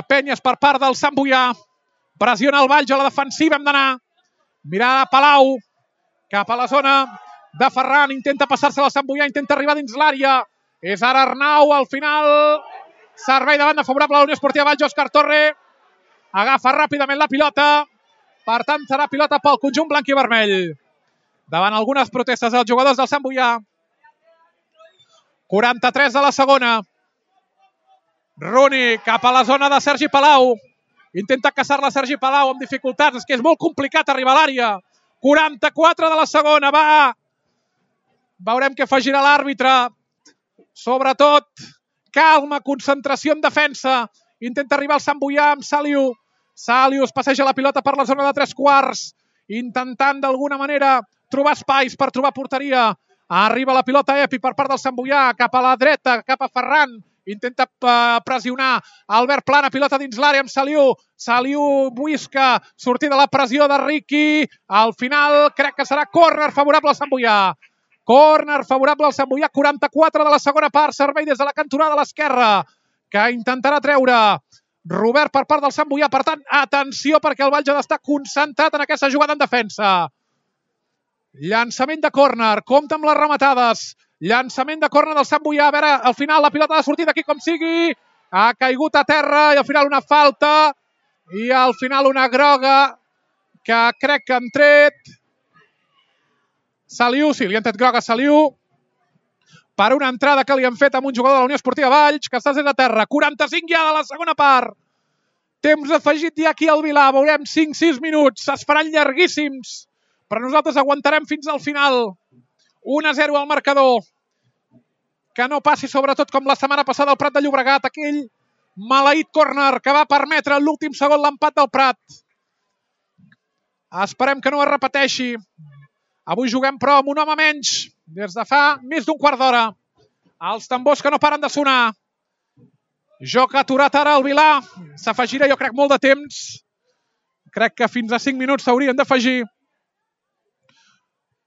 Penyes per part del Sant Boià. Pressiona el Valls a la defensiva, hem d'anar. Mirar a Palau, cap a la zona de Ferran, intenta passar-se al Sant Boià, intenta arribar dins l'àrea. És ara Arnau, al final, servei de banda favorable a la Unió Esportiva Valls, Òscar Torre. Agafa ràpidament la pilota, per tant serà pilota pel conjunt blanc i vermell. Davant algunes protestes dels jugadors del Sant Boià. quaranta-tres de la segona. Rooney cap a la zona de Sergi Palau. Intenta caçar-la Sergi Palau amb dificultats. És que és molt complicat arribar a l'àrea. quaranta-quatre de la segona. Va! Veurem què afegirà l'àrbitre. Sobretot, calma, concentració en defensa. Intenta arribar al Sant Boià amb Saliu. Saliu es passeja la pilota per la zona de tres quarts. Intentant d'alguna manera trobar espais per trobar porteria. Arriba la pilota Epi per part del Sant Boià. Cap a la dreta, cap a Ferran. Intenta pressionar Albert Plana, pilota dins l'àrea amb Saliu. Saliu busca sortir de la pressió de Riqui. Al final crec que serà córner favorable al Sant Boià. Córner favorable al Sant Boià, quaranta-quatre de la segona part, servei des de la cantonada de l'esquerra, que intentarà treure Robert per part del Sant Boià. Per tant, atenció, perquè el Valls ha d'estar concentrat en aquesta jugada en defensa. Llançament de córner, compta amb les rematades. Llançament de córner del Sant Boià. A veure, al final la pilota ha de sortir d'aquí com sigui. Ha caigut a terra i al final una falta. I al final una groga que crec que han tret Saliu, sí, li han tret groga a Saliu per una entrada que li han fet amb un jugador de la Unió Esportiva Valls, que està des de terra. quaranta-cinc ja de la segona part. Temps afegit ja aquí al Vilà. Veurem cinc sis minuts. Es faran llarguíssims, però nosaltres aguantarem fins al final. un a zero al marcador. Que no passi sobretot com la setmana passada al Prat de Llobregat, aquell maleït córner que va permetre l'últim segon l'empat del Prat. Esperem que no es repeteixi. Avui juguem, però, amb un home menys des de fa més d'un quart d'hora. Els tambors que no paren de sonar. Joc aturat ara al Vilà. S'afegirà, jo crec, molt de temps. Crec que fins a cinc minuts s'haurien d'afegir.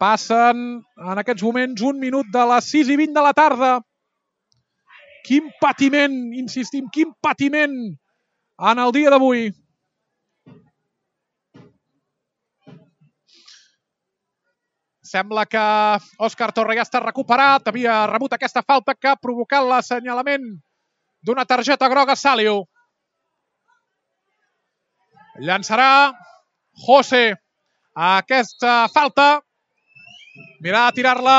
Passen en aquests moments un minut de les sis i vint de la tarda. Quin patiment, insistim, quin patiment en el dia d'avui. Sembla que Òscar Torre ja està recuperat. Havia rebut aquesta falta que ha provocat l'assenyalament d'una targeta groga a Saliu. Llançarà José a aquesta falta. Mirarà de tirar-la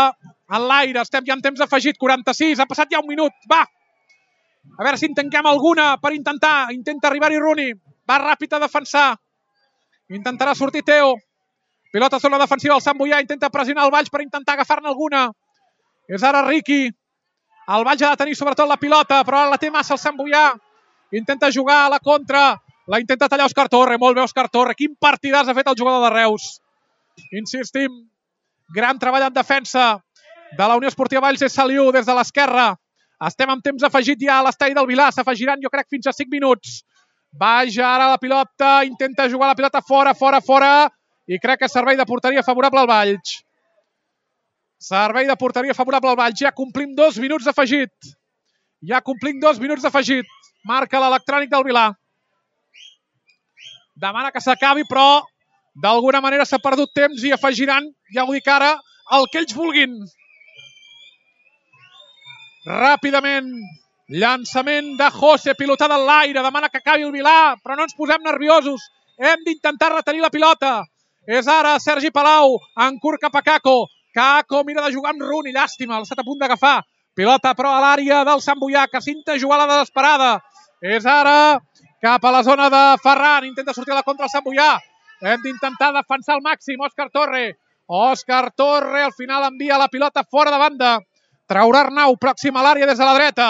en l'aire. Estem ja en temps afegit. quaranta-sis. Ha passat ja un minut. Va. A veure si en tanquem alguna per intentar. Intenta arribar-hi Rooney. Va ràpid a defensar. Intentarà sortir Teo. Pilota a zona defensiva del Sant Boià. Intenta pressionar el Valls per intentar agafar-ne alguna. És ara Riqui. El Valls ha de tenir sobretot la pilota, però ara la té massa el Sant Boià. Intenta jugar a la contra. La intenta tallar Òscar Torre. Molt bé, Òscar Torre. Quin partidàs ha fet el jugador de Reus. Insistim. Gran treball en defensa de la Unió Esportiva Valls. És Saliu des de l'esquerra. Estem amb temps afegit ja a l'estadi del Vilà. S'afegiran, jo crec, fins a cinc minuts. Vaja ara la pilota. Intenta jugar la pilota fora, fora, fora. I crec que servei de porteria favorable al Valls. Servei de porteria favorable al Valls. Ja complim dos minuts d'afegit. Ja complim dos minuts d'afegit. Marca l'electrònic del Vilà. Demana que s'acabi, però d'alguna manera s'ha perdut temps i afegiran, ja ho dic ara, el que ells vulguin. Ràpidament, llançament de José, pilotada en l'aire, demana que acabi el Vilà, però no ens posem nerviosos. Hem d'intentar retenir la pilota. És ara Sergi Palau, en curt cap a Kako. Kako mira de jugar amb Rooney, llàstima, l'ha estat a punt d'agafar. Pilota, però, a l'àrea del Sant Boià, que s'intenta jugar a la desesperada. És ara cap a la zona de Ferran, intenta sortir a la contra el Sant Boià. Hem d'intentar defensar al màxim, Òscar Torre. Òscar Torre, al final envia la pilota fora de banda. Traurà Arnau, pròxim a l'àrea des de la dreta.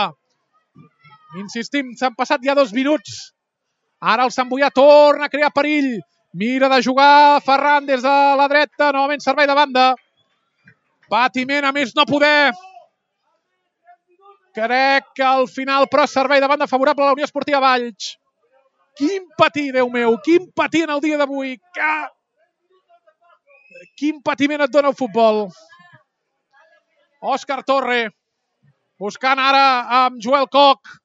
Insistim, s'han passat ja dos minuts. Ara el Sant Boià torna a crear perill. Mira de jugar Ferran des de la dreta, novament servei de banda. Patiment a més no poder. Crec que al final, però, servei de banda favorable a la Unió Esportiva Valls. Quin patir, Déu meu, quin patir en el dia d'avui. Que... Quin patiment et dona el futbol. Òscar Torre, buscant ara amb Joel Koch.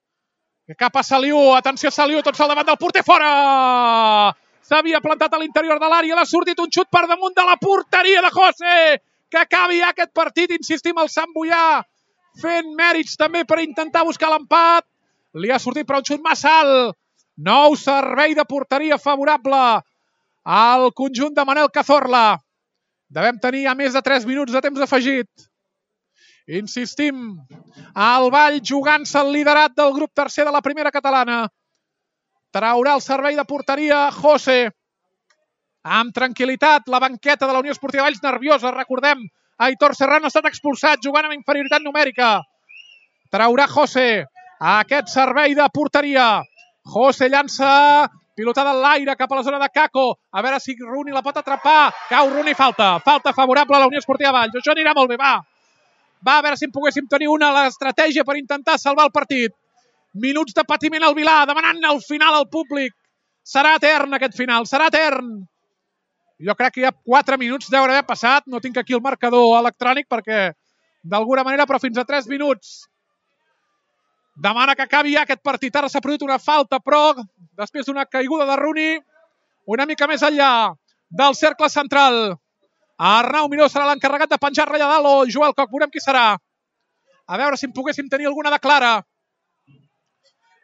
Cap a Saliu, atenció Saliu, tot sol davant del porter, fora! S'havia plantat a l'interior de l'àrea, l'ha sortit un xut per damunt de la porteria de José. Que acabi ja aquest partit, insistim, el Sant Boià fent mèrits també per intentar buscar l'empat. Li ha sortit però un xut massa alt. Nou servei de porteria favorable al conjunt de Manel Cazorla. Devem tenir ja més de tres minuts de temps afegit. Insistim, el Vall jugant-se el liderat del grup tercer de la primera catalana. Traurà el servei de porteria José. Amb tranquil·litat, la banqueta de la Unió Esportiva Valls nerviosa. Recordem, Aitor Serrano ha estat expulsat jugant amb inferioritat numèrica. Traurà José a aquest servei de porteria. José llança, pilotada en l'aire cap a la zona de Kako. A veure si Rooney la pot atrapar. Cau Rooney, falta. Falta favorable a la Unió Esportiva Valls. Això anirà molt bé, va. Va, a veure si en poguéssim tenir una a l'estratègia per intentar salvar el partit. Minuts de patiment al Vilà, demanant al final al públic. Serà etern aquest final, serà etern. Jo crec que hi ha quatre minuts deuen haver passat. No tinc aquí el marcador electrònic perquè d'alguna manera, però fins a tres minuts. Demana que acabi ja aquest partit. Ara s'ha produït una falta, però després d'una caiguda de Rooney, una mica més enllà del cercle central. Arnau Miró serà l'encarregat de penjar-la allà dalt, o Joel Coc, veurem qui serà. A veure si en poguéssim tenir alguna de clara.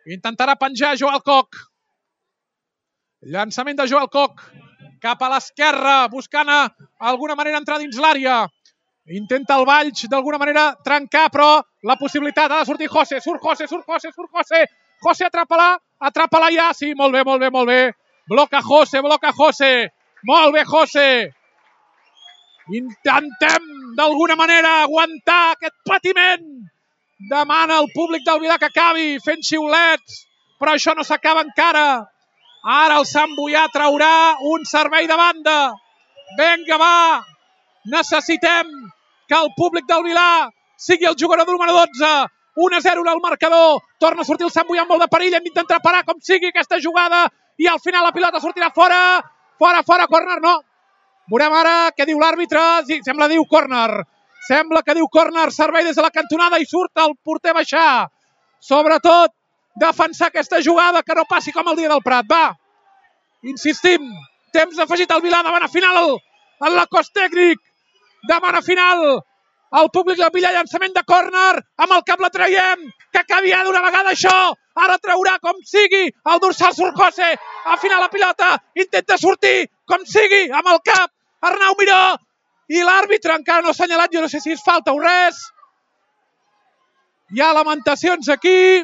Intentarà penjar Joel Coc. Llançament de Joel Coc cap a l'esquerra, buscant alguna manera entrar dins l'àrea. Intenta el Valls d'alguna manera trencar, però la possibilitat ha de sortir José. Surt José, surt José, surt José. José, atrapa-la, atrapa-la ja. Sí, molt bé, molt bé, molt bé. Bloca José, bloca José. Molt bé, José. Intentem d'alguna manera aguantar aquest patiment. Demana al públic del Vilar que acabi fent xiulets, però això no s'acaba encara. Ara el Sant Boià traurà un servei de banda. Vinga, va. Necessitem que el públic del Vilar sigui el jugador número dotze. un a zero al marcador. Torna a sortir el Sant Boià amb molt de perill. Hem d'intentar parar com sigui aquesta jugada i al final la pilota sortirà fora. Fora, fora, córner, no. Veurem ara què diu l'àrbitre. Sí, sembla diu córner. Sembla que diu córner, servei des de la cantonada i surt el porter baixar. Sobretot, defensar aquesta jugada, que no passi com el dia del Prat. Va, insistim, temps afegit al Vilar, demana final en la cos tècnic. Demana final el públic del Vilar, llançament de córner, amb el cap la traiem, que acabi ja d'una vegada això. Ara traurà com sigui el dorsal surt José, a final la pilota, intenta sortir com sigui amb el cap, Arnau Miró. I l'àrbitre encara no ha assenyalat, jo no sé si és falta o res. Hi ha lamentacions aquí.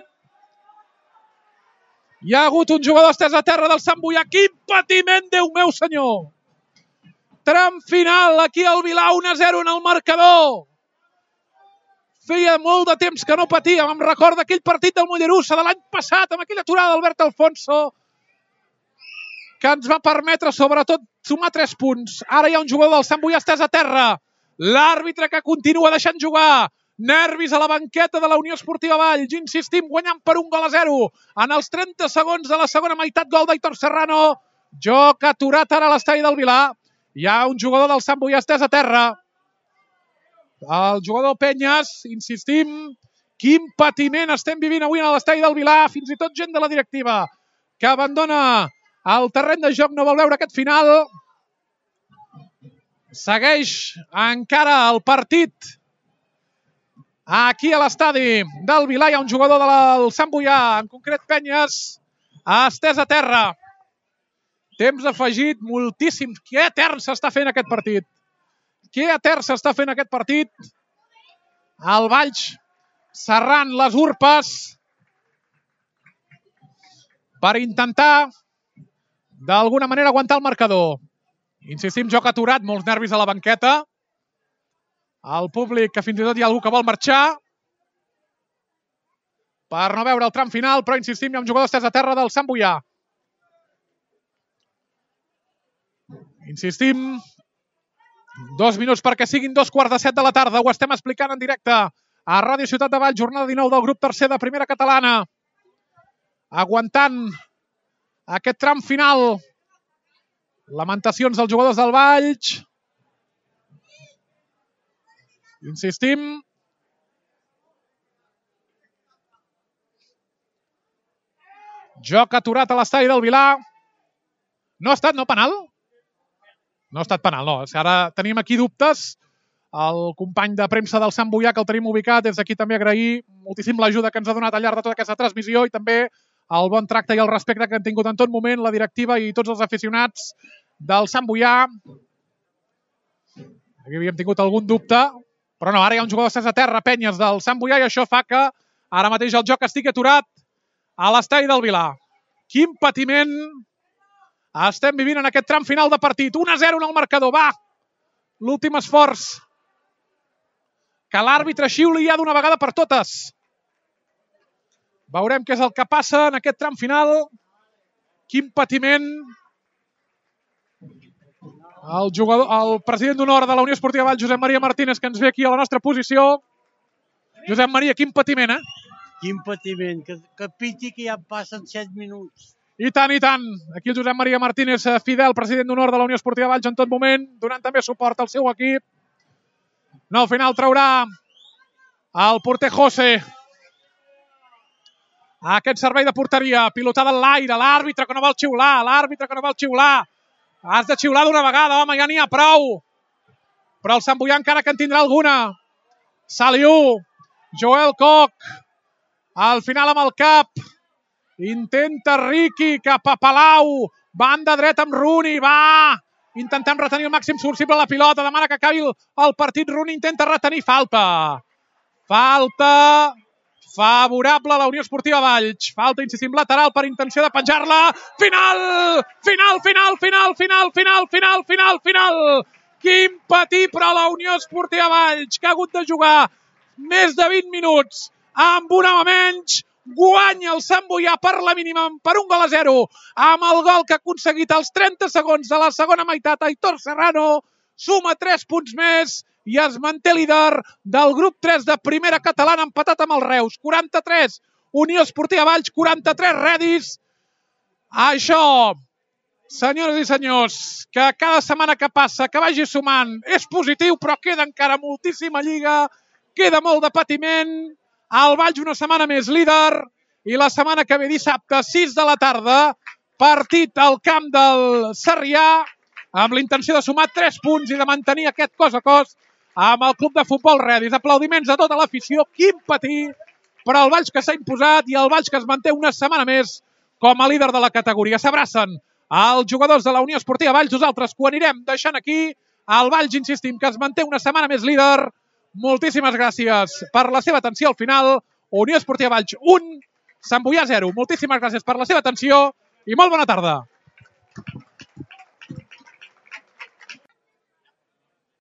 Hi ha hagut un jugador estès a terra del Sant Boià. Quin patiment, Déu meu senyor. Tram final, aquí al Vilar, un a zero en el marcador. Feia molt de temps que no patíem. Em recorda aquell partit del Mollerussa de l'any passat, amb aquella aturada d'Albert Alfonso, que ens va permetre, sobretot, sumar tres punts. Ara hi ha un jugador del Sant Boià estès a terra. L'àrbitre que continua deixant jugar. Nervis a la banqueta de la Unió Esportiva Valls. Insistim, guanyant per un gol a zero. En els trenta segons de la segona meitat, gol d'Aitor Serrano. Joc aturat ara a l'estadi del Vilar. Hi ha un jugador del Sant Boià estès a terra. El jugador Penyes, insistim, quin patiment estem vivint avui a l'estadi del Vilar. Fins i tot gent de la directiva que abandona el terreny de joc, no vol veure aquest final. Segueix encara el partit. Aquí a l'estadi del Vilar hi ha un jugador del Sant Boià, en concret Penyes, estès a terra. Temps afegit, moltíssim. Que etern s'està fent aquest partit. Que etern s'està fent aquest partit. El Valls serrant les urpes per intentar d'alguna manera aguantar el marcador. Insistim, joc aturat, molts nervis a la banqueta. El públic, que fins i tot hi ha algú que vol marxar per no veure el tram final, però insistim, hi ha un jugador estès a terra del Sant Boià. Insistim, dos minuts perquè siguin dos quarts de set de la tarda. Ho estem explicant en directe a Ràdio Ciutat de Valls, jornada dinou del grup tercer de Primera Catalana. Aguantant aquest tram final. Lamentacions dels jugadors del Valls. Insistim. Joc aturat a l'estadi del Vilar. No ha estat, no, penal? No ha estat penal, no. Ara tenim aquí dubtes. El company de premsa del Sant Boià, que el tenim ubicat, des d'aquí també agrair moltíssim l'ajuda que ens ha donat al llarg de tota aquesta transmissió i també el bon tracte i el respecte que han tingut en tot moment la directiva i tots els aficionats del Sant Boià. Aquí havíem tingut algun dubte, però no, ara hi ha un jugador estès a terra, Penyes, del Sant Boià, i això fa que ara mateix el joc estigui aturat a l'estadi del Vilar. Quin patiment estem vivint en aquest tram final de partit. un a zero en el marcador, va! L'últim esforç. Que l'àrbitre xiuli ja d'una vegada per totes. Veurem què és el que passa en aquest tram final. Quin patiment. El, jugador, el president d'honor de la Unió Esportiva Valls, Josep Maria Martínez, que ens ve aquí a la nostra posició. Josep Maria, quin patiment, eh? Quin patiment. Que, que piti que ja passen set minuts. I tant, i tant. Aquí el Josep Maria Martínez, fidel president d'honor de la Unió Esportiva Valls en tot moment, donant també suport al seu equip. No, al final traurà el porter José. Aquest servei de porteria, pilotada en l'aire, l'àrbitre que no vol xiular, l'àrbitre que no vol xiular. Has de xiular d'una vegada, home, ja n'hi ha prou. Però el Sant Boià encara que en tindrà alguna. Saliu, Joel Koch, al final amb el cap. Intenta Riqui cap a Palau, banda dreta amb Rooney, va! Intentem retenir el màxim possible la pilota, demana que acabi el partit, Rooney intenta retenir, falta. Falta favorable a la Unió Esportiva Valls. Falta, insistim, lateral per intenció de penjar-la. Final! Final, final, final, final, final, final, final, final! Quin patir per a la Unió Esportiva Valls, que ha hagut de jugar més de vint minuts amb un home menys. Guanya el Sant Boià per la mínima, per un gol a zero, amb el gol que ha aconseguit als trenta segons de la segona meitat. Aitor Serrano suma tres punts més i es manté líder del grup tres de primera catalana, empatat amb el Reus. quaranta-tres, Unió Esportiva Valls, quaranta-tres, Redis. Això, senyores i senyors, que cada setmana que passa, que vagi sumant, és positiu, però queda encara moltíssima lliga, queda molt de patiment. El Valls una setmana més líder i la setmana que ve dissabte, sis de la tarda, partit al camp del Sarrià amb la intenció de sumar tres punts i de mantenir aquest cos a cos amb el club de futbol Redis. Aplaudiments a tota l'afició, quin patir per al Valls que s'ha imposat i el Valls que es manté una setmana més com a líder de la categoria. S'abracen els jugadors de la Unió Esportiva Valls, nosaltres que ho anirem deixant aquí. El Valls, insistim, que es manté una setmana més líder. Moltíssimes gràcies per la seva atenció al final. Unió Esportiva Valls un, Sant Boià zero. Moltíssimes gràcies per la seva atenció i molt bona tarda.